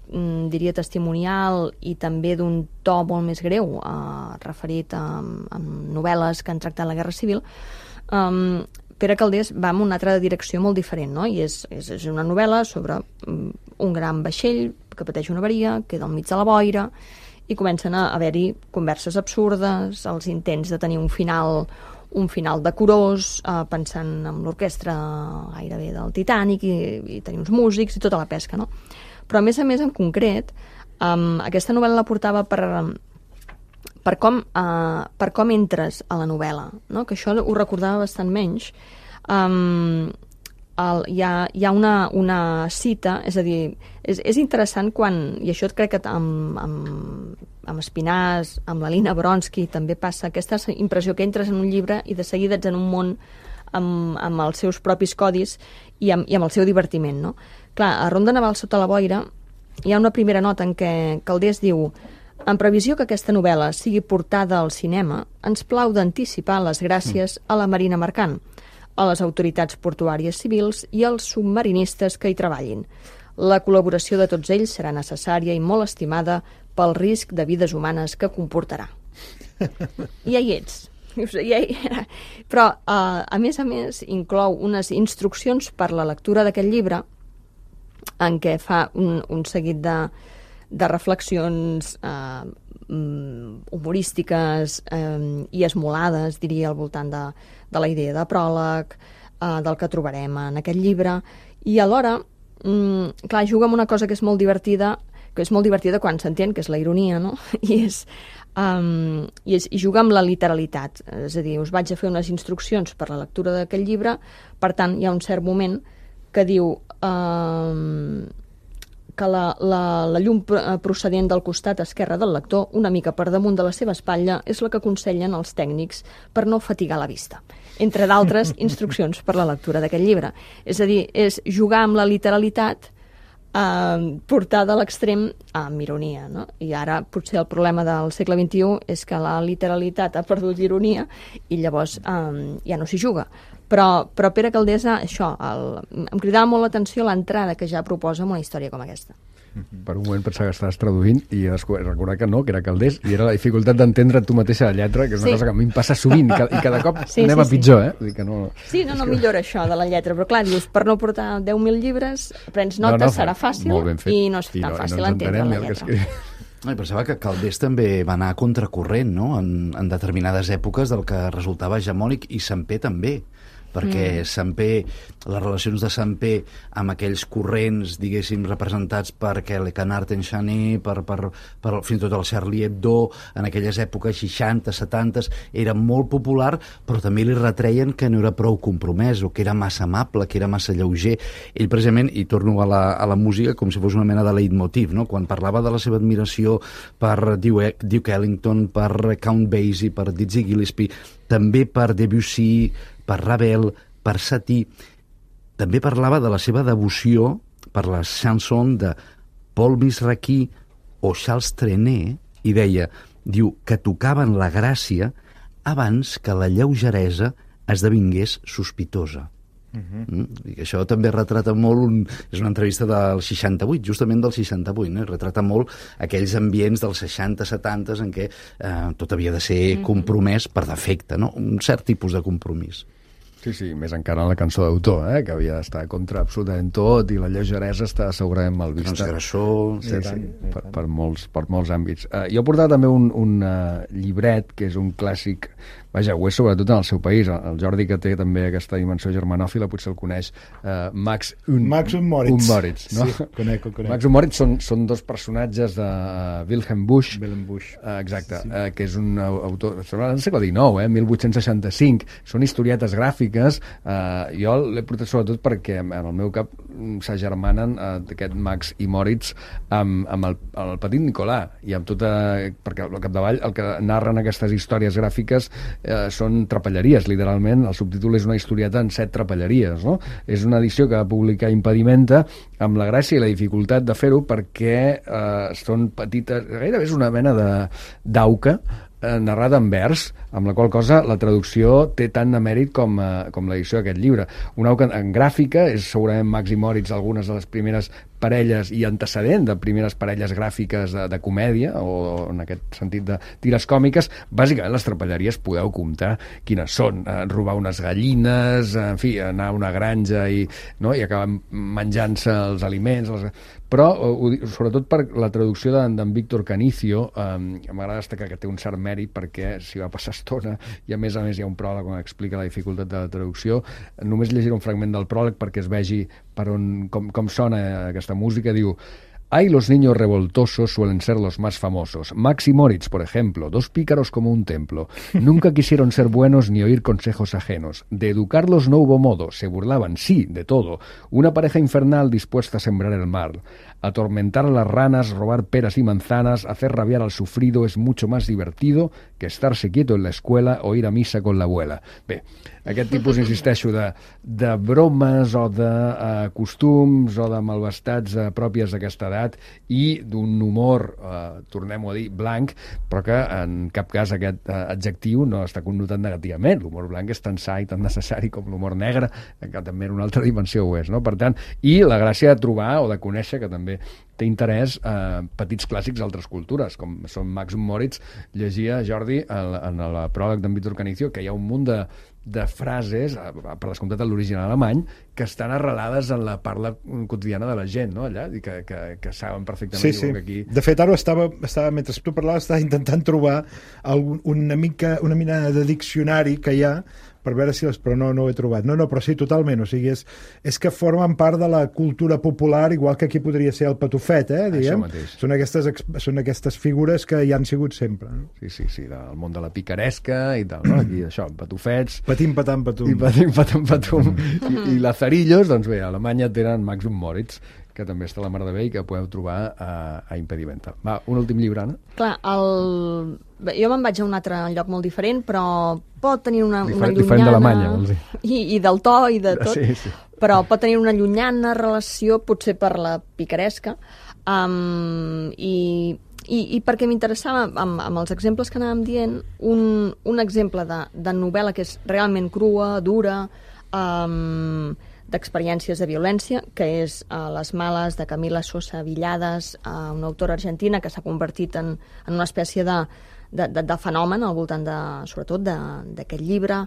diria testimonial, i també d'un to molt més greu, eh, referit a, a novel·les que han tractat la guerra civil, eh, Pere Calders va en una altra direcció molt diferent, no? I és, és, és una novel·la sobre un gran vaixell que pateix una avaria, queda al mig de la boira, i comencen a haver-hi converses absurdes, els intents de tenir un final un final decorós, eh, pensant en l'orquestra gairebé del Titanic i, i tenir uns músics i tota la pesca, no? Però a més a més, en concret, um, aquesta novel·la la portava per, per, com, uh, per com entres a la novel·la, no? Que això ho recordava bastant menys. Um, el, hi ha, hi ha una, una cita, és a dir, és, és interessant quan, i això crec que amb, amb, amb Espinàs, amb la Lina Bronsky també passa aquesta impressió que entres en un llibre i de seguida ets en un món amb, amb els seus propis codis i amb, i amb el seu divertiment, no? Clar, a Ronda Naval sota la boira hi ha una primera nota en què Calders diu: en previsió que aquesta novel·la sigui portada al cinema, ens plau d'anticipar les gràcies a la Marina Mercant, a les autoritats portuàries civils i als submarinistes que hi treballin. La col·laboració de tots ells serà necessària i molt estimada pel risc de vides humanes que comportarà. I ja hi ets. Ja hi era. Però, uh, a més a més, inclou unes instruccions per la lectura d'aquest llibre en què fa un, un seguit de, de reflexions uh, humorístiques uh, i esmolades, diria, al voltant de, de la idea de pròleg, uh, del que trobarem en aquest llibre, i alhora, um, clar, juga amb una cosa que és molt divertida, que és molt divertida quan s'entén, que és la ironia, no? I és, um, i és i juga amb la literalitat. És a dir, us vaig a fer unes instruccions per la lectura d'aquest llibre, per tant, hi ha un cert moment que diu um, que la, la, la llum procedent del costat esquerre del lector, una mica per damunt de la seva espatlla, és la que aconsellen els tècnics per no fatigar la vista. Entre d'altres instruccions per la lectura d'aquest llibre. És a dir, és jugar amb la literalitat eh, portada a l'extrem amb ironia, no? I ara potser el problema del segle vint-i-u és que la literalitat ha perdut ironia i llavors eh, ja no s'hi juga. Però, però Pere Calders, això, el, em cridava molt l'atenció l'entrada que ja proposa amb una història com aquesta. Per un moment pensava que estaves traduint i recordar que no, que era Calders, i era la dificultat d'entendre tu mateixa la lletra, que és una sí. cosa que a mi em passa sovint, i cada cop sí, anem sí, a pitjor, sí. eh? Vull dir que no... Sí, no, no millora això de la lletra, però clar, dius, per no portar deu mil llibres, prens notes, no, no, serà fàcil, i no és tan no, fàcil no entendre la lletra. No, pensava que Calders també va anar a contracorrent, no?, en, en determinades èpoques del que resultava hegemònic, i Sampé també, perquè mm. Sampé, les relacions de Sampé amb aquells corrents, diguéssim, representats per Le Canard Enchaîné, per, per, per fins i tot el Charlie Hebdo, en aquelles èpoques seixanta, setanta, era molt popular, però també li retreien que no era prou compromès, o que era massa amable, que era massa lleuger. Ell, precisament, i torno a la, a la música com si fos una mena de leitmotiv, no? Quan parlava de la seva admiració per Duke, Duke Ellington, per Count Basie, per Dizzy Gillespie, també per Debussy, per Ravel, per Satie, també parlava de la seva devoció per les chansons de Paul Misraki o Charles Trenet, i deia, diu, que tocaven la gràcia abans que la lleugeresa esdevingués sospitosa. Uh-huh. Mm? I això també retrata molt un, és una entrevista del seixanta-vuit, justament del seixanta-vuit, no? Retrata molt aquells ambients dels seixanta setanta en què eh, tot havia de ser uh-huh. compromès per defecte, no? Un cert tipus de compromís. Sí, sí, més encara en la cançó d'autor, eh? Que havia d'estar contra absolutament tot, i la lleugeresa està segurament mal vista. Transgressor... Sí, sí, tant, per, per, molts, per molts àmbits. Uh, jo he portat també un, un uh, llibret, que és un clàssic, vaja, ho és sobretot en el seu país. El Jordi, que té també aquesta dimensió germanòfila, potser el coneix, uh, Max und, Max und Moritz. Und Moritz, no? Sí, conec, conec. Max und Moritz són, són dos personatges de uh, Wilhelm Busch, Wilhelm Busch. Uh, exacte, sí. uh, que és un autor, del segle dinou, eh? mil vuit-cents seixanta-cinc, són historietes gràfiques. Uh, jo l'he portat sobretot perquè en el meu cap s'agermanen uh, aquest Max i Moritz amb, amb el, el petit Nicolà, i amb tota, perquè al capdavall el que narren aquestes històries gràfiques eh, són trapelleries, literalment. El subtítol és una historieta en set trapelleries, no? És una edició que va publicar Impedimenta amb la gràcia i la dificultat de fer-ho perquè eh, són petites... Gairebé és una mena de d'auca eh, narrada en vers, amb la qual cosa la traducció té tant de mèrit com, eh, com l'edició d'aquest llibre. Una auca en gràfica, és segurament Max i Moritz algunes de les primeres parelles i antecedent de primeres parelles gràfiques de, de comèdia, o en aquest sentit de tires còmiques. Bàsicament les trapelleries podeu comptar quines són, eh, robar unes gallines, en fi, anar a una granja i, no, i acabar menjant-se els aliments, les... però eh, sobretot per la traducció d'en de, Víctor Canicio, eh, m'agrada destacar que té un cert mèrit perquè s'hi va passar estona i a més a més hi ha un pròleg on explica la dificultat de la traducció. Només llegiré un fragment del pròleg perquè es vegi per on, com, com sona aquesta música. Diu: «Ay, los niños revoltosos suelen ser los más famosos. Max y Moritz, por ejemplo, dos pícaros como un templo. Nunca quisieron ser buenos ni oír consejos ajenos. De educarlos no hubo modo, se burlaban, sí, de todo. Una pareja infernal dispuesta a sembrar el mal. Atormentar a las ranas, robar peras y manzanas, hacer rabiar al sufrido es mucho más divertido que estarse quieto en la escuela o ir a misa con la abuela». Bé, aquest tipus, insisteixo, de, de bromes o de uh, costums o de malvestats uh, pròpies d'aquesta edat i d'un humor, uh, tornem-ho a dir, blanc, però que en cap cas aquest uh, adjectiu no està connotat negativament. L'humor blanc és tan sa i tan necessari com l'humor negre, que també en una altra dimensió ho és, no? Per tant, i la gràcia de trobar o de conèixer, que també té interès, eh, petits clàssics d'altres cultures, com són Max i Moritz. Llegia, Jordi, en, en el pròleg d'en Víctor Canicio, que hi ha un munt de, de frases, per descomptat en l'original alemany, que estan arrelades en la parla quotidiana de la gent, no?, allà, i que, que, que saben perfectament. Sí, sí. Que aquí... De fet, ara estava, estava, mentre tu parlaves, estava intentant trobar algun, una mica, una mina de diccionari que hi ha per veure si les... però no, no ho he trobat. No, no, però sí, totalment. O sigui, és, és que formen part de la cultura popular, igual que aquí podria ser el patufet, eh, diguem. Són aquestes, són aquestes figures que hi han sigut sempre. No? Sí, sí, sí, del món de la picaresca i tal, no? Aquí, això, patufets... Patim, patam, patum. I patim, patam, patum. I, i lazarillos, doncs bé, a Alemanya tenen Max i Moritz, que també està a la mar de bé i que podeu trobar a, a Impedimenta. Va, un últim llibre, Anna? Clar, el... jo me'n vaig a un altre lloc molt diferent, però pot tenir una, diferent, una llunyana... Diferent d'Alemanya, vols dir. I, I del to i de tot. Sí, sí. Però pot tenir una llunyana relació, potser per la picaresca, um, i, i, i perquè m'interessava, amb, amb els exemples que anàvem dient, un, un exemple de, de novel·la que és realment crua, dura, um, d'experiències de violència, que és uh, Les males, de Camila Sosa Villades, uh, una autora argentina que s'ha convertit en, en una espècie de, de, de, de fenomen al voltant, de, sobretot, d'aquest llibre.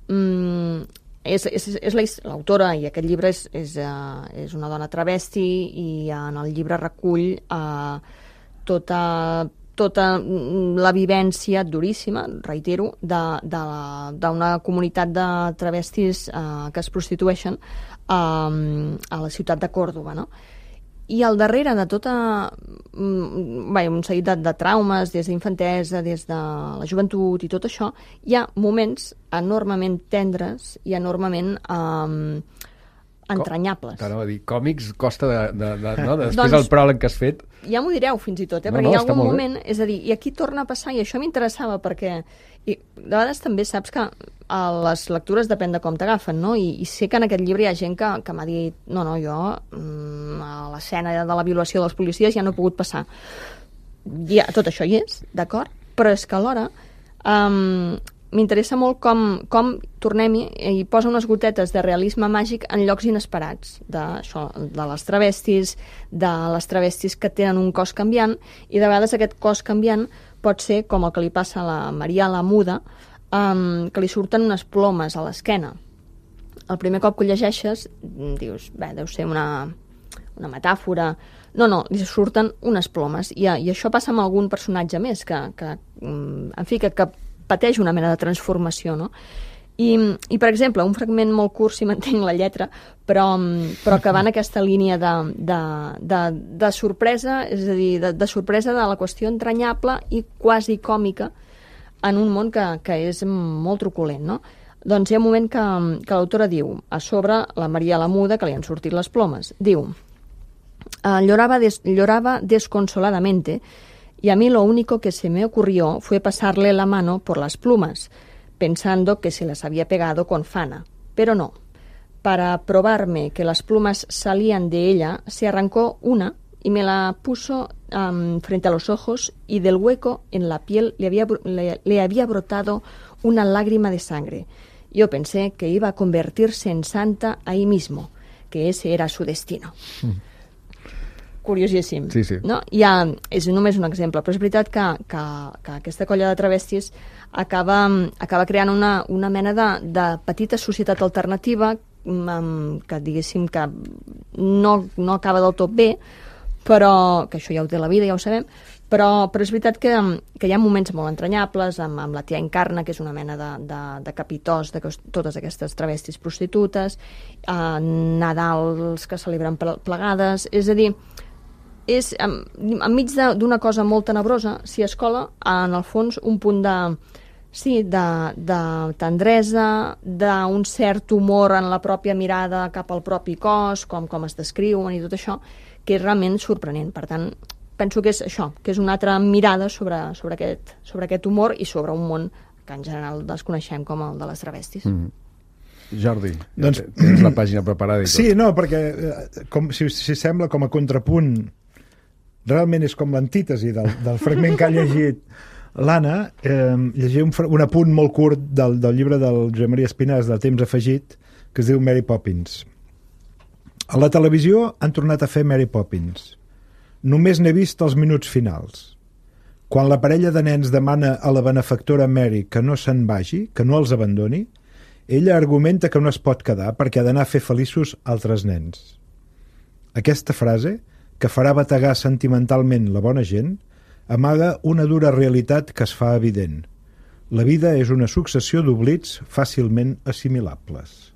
Mm, és és, és l'autora, i aquest llibre és, és, uh, és una dona travesti, i en el llibre recull uh, tota... tota la vivència duríssima, reitero, d'una comunitat de travestis eh, que es prostitueixen eh, a la ciutat de Còrdova, no? I al darrere de tota... Bé, un seguit de, de traumes, des d'infantesa, des de la joventut i tot això, hi ha moments enormement tendres i enormement... Eh, entranyables. T'anava a dir, còmics costa de... de, de no? Després doncs, del pròleg que has fet... Ja m'ho direu, fins i tot, eh? No, perquè no, hi ha algun moment... És a dir, i aquí torna a passar, i això m'interessava, perquè i, de vegades també saps que a les lectures depèn de com t'agafen, no? I, I sé que en aquest llibre hi ha gent que, que m'ha dit no, no, jo mm, a l'escena de la violació dels policies ja no he pogut passar. Ja, tot això hi és, d'acord? Però és que alhora... Um, m'interessa molt com, com tornem-hi i posa unes gotetes de realisme màgic en llocs inesperats, de, això, de les travestis, de les travestis que tenen un cos canviant, i de vegades aquest cos canviant pot ser com el que li passa a la Maria la Muda, um, que li surten unes plomes a l'esquena. El primer cop que ho llegeixes dius, bé, deu ser una, una metàfora. No, no, li surten unes plomes, i, i això passa amb algun personatge més que, que en fi, que, que pateix una mena de transformació, no? I, i per exemple, un fragment molt curt, si m'entenc la lletra, però, però que va en aquesta línia de, de, de, de sorpresa, és a dir, de, de sorpresa de la qüestió entranyable i quasi còmica en un món que, que és molt truculent, no? Doncs hi ha un moment que, que l'autora diu, a sobre la Maria la Muda, que li han sortit les plomes, diu, lloraba, des, lloraba desconsoladamente, y a mí lo único que se me ocurrió fue pasarle la mano por las plumas, pensando que se las había pegado con Fana, pero no. Para probarme que las plumas salían de ella, se arrancó una y me la puso um, frente a los ojos, y del hueco en la piel le había, le, le había brotado una lágrima de sangre. Yo pensé que iba a convertirse en santa ahí mismo, que ese era su destino. Mm. Curiosíssim. Sí, sí. No? Ja, és només un exemple, però és veritat que, que, que aquesta colla de travestis acaba, acaba creant una, una mena de, de petita societat alternativa um, que diguéssim que no, no acaba del tot bé, però que això ja ho té la vida, ja ho sabem, però, però és veritat que, que hi ha moments molt entranyables amb, amb la tia Encarna, que és una mena de, de, de capitós de totes aquestes travestis prostitutes, eh, Nadals que celebren plegades, és a dir, és en, enmig d'una cosa molt tenebrosa s'hi escola, en el fons, un punt de, sí, de, de tendresa, d'un cert humor en la pròpia mirada cap al propi cos, com, com es descriuen i tot això, que és realment sorprenent. Per tant, penso que és això, que és una altra mirada sobre, sobre, aquest, sobre aquest humor i sobre un món que en general desconeixem com el de les travestis. Mm. Jordi, doncs, tens la pàgina preparada i tot. Sí, no, perquè com, si, si sembla com a contrapunt, realment és com l'antítesi del, del fragment que ha llegit l'Anna. Eh, llegir un, un apunt molt curt del, del llibre del Josep Maria Espinàs de Temps afegit, que es diu Mary Poppins. A la televisió han tornat a fer Mary Poppins. Només n'he vist els minuts finals. Quan la parella de nens demana a la benefactora Mary que no se'n vagi, que no els abandoni, ella argumenta que no es pot quedar perquè ha d'anar a fer feliços altres nens. Aquesta frase, que farà bategar sentimentalment la bona gent, amaga una dura realitat que es fa evident. La vida és una successió d'oblits fàcilment assimilables.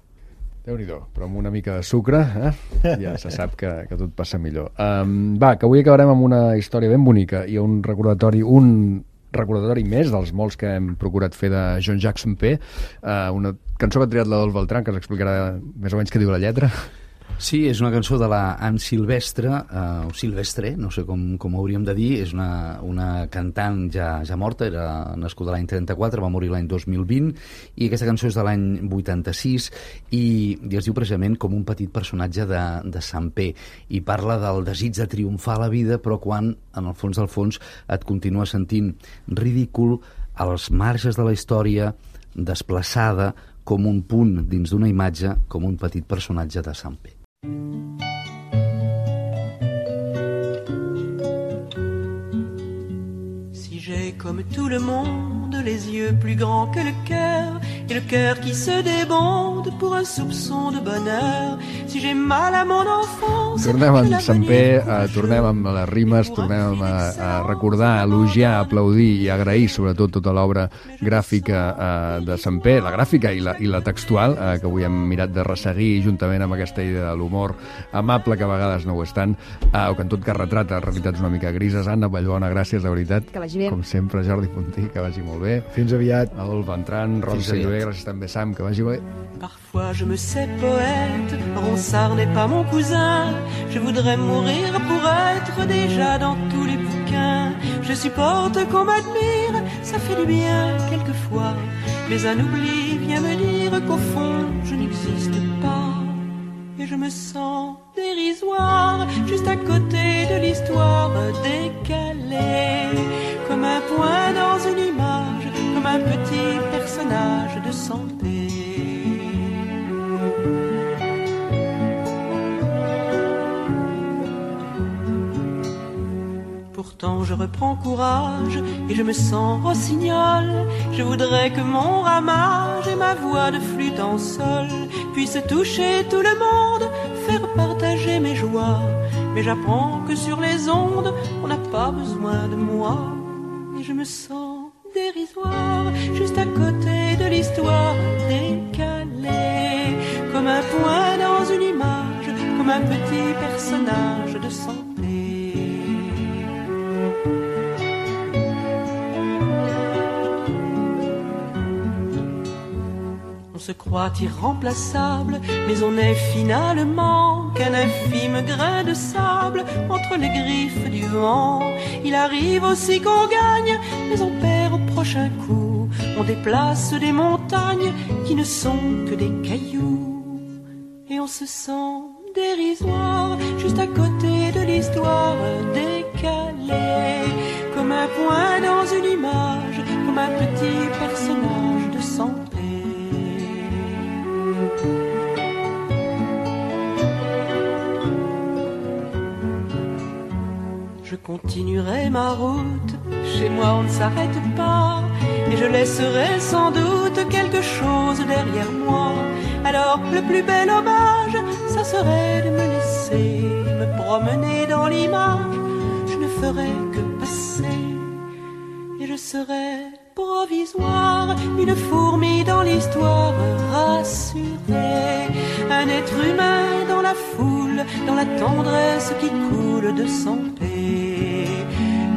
Déu-n'hi-do, però amb una mica de sucre, eh? Ja se sap que, que tot passa millor. Um, va, que avui acabarem amb una història ben bonica i un recordatori, un recordatori més dels molts que hem procurat fer de Jean-Jacques Sempé, uh, una cançó que ha triat l'Adolf Beltrán, que ens explicarà més o menys què diu la lletra. Sí, és una cançó de la Anne Silvestre, uh, o Silvestre, no sé com, com hauríem de dir, és una, una cantant ja, ja morta, era nascuda l'any trenta-quatre, va morir l'any dos mil vint, i aquesta cançó és de l'any vuitanta-sis, i, i es diu precisament com un petit personatge de, de Sempé, i parla del desig de triomfar a la vida, però quan, en el fons del fons, et continua sentint ridícul als marges de la història, desplaçada, com un punt dins d'una imatge, com un petit personatge de Sempé. Si j'ai comme tout le monde les yeux plus grands que le cœur et le cœur qui se débonde pour un soupçon de bonheur, si j'ai mal à mon enfance... Tornem amb Sempé, eh, tornem amb les rimes, tornem a, a recordar, a elogiar, a aplaudir i agrair sobretot tota l'obra gràfica eh, de Sempé, la gràfica i la, i la textual, eh, que avui hem mirat de resseguir juntament amb aquesta idea de l'humor amable, que a vegades no ho és tant, eh, o que en tot cas retrata realitats una mica grises. Anna Vallbona, gràcies, de veritat. Que vagi bé. Com sempre, Jordi Puntí, que vagi molt bé. Fins aviat. Adolf Beltrán, Ron Silvé, gràcies també, Sam, que vagi bé. Parfois je me sais poète, Ronsard n'est pas mon cousin. Je voudrais mourir pour être déjà dans tous les bouquins. Je supporte qu'on m'admire, ça fait du bien quelquefois. Mais un oubli vient me dire qu'au fond je n'existe pas. Et je me sens dérisoire, juste à côté de l'histoire décalée. Comme un point dans une image, comme un petit personnage de santé. Pourtant je reprends courage et je me sens rossignol. Je voudrais que mon ramage et ma voix de flûte en sol puissent toucher tout le monde, faire partager mes joies. Mais j'apprends que sur les ondes, on n'a pas besoin de moi. Et je me sens dérisoire, juste à côté de l'histoire décalée. Comme un point dans une image, comme un petit personnage de santé. On se croit irremplaçable, mais on est finalement qu'un infime grain de sable entre les griffes du vent. Il arrive aussi qu'on gagne, mais on perd au prochain coup. On déplace des montagnes qui ne sont que des cailloux. Et on se sent dérisoire juste à côté de l'histoire, décalée comme un point dans une image, comme un petit personnage de santé. Je continuerai ma route, chez moi on ne s'arrête pas, et je laisserai sans doute quelque chose derrière moi. Alors le plus bel hommage, ça serait de me laisser me promener dans l'image. Je ne ferai que passer, et je serai provisoire, une fourmi dans l'histoire rassurée, un être humain dans la foule, dans la tendresse qui coule de son paix,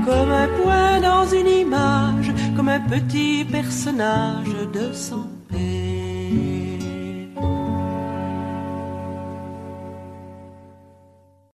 comme un point dans une image, comme un petit personnage de son paix.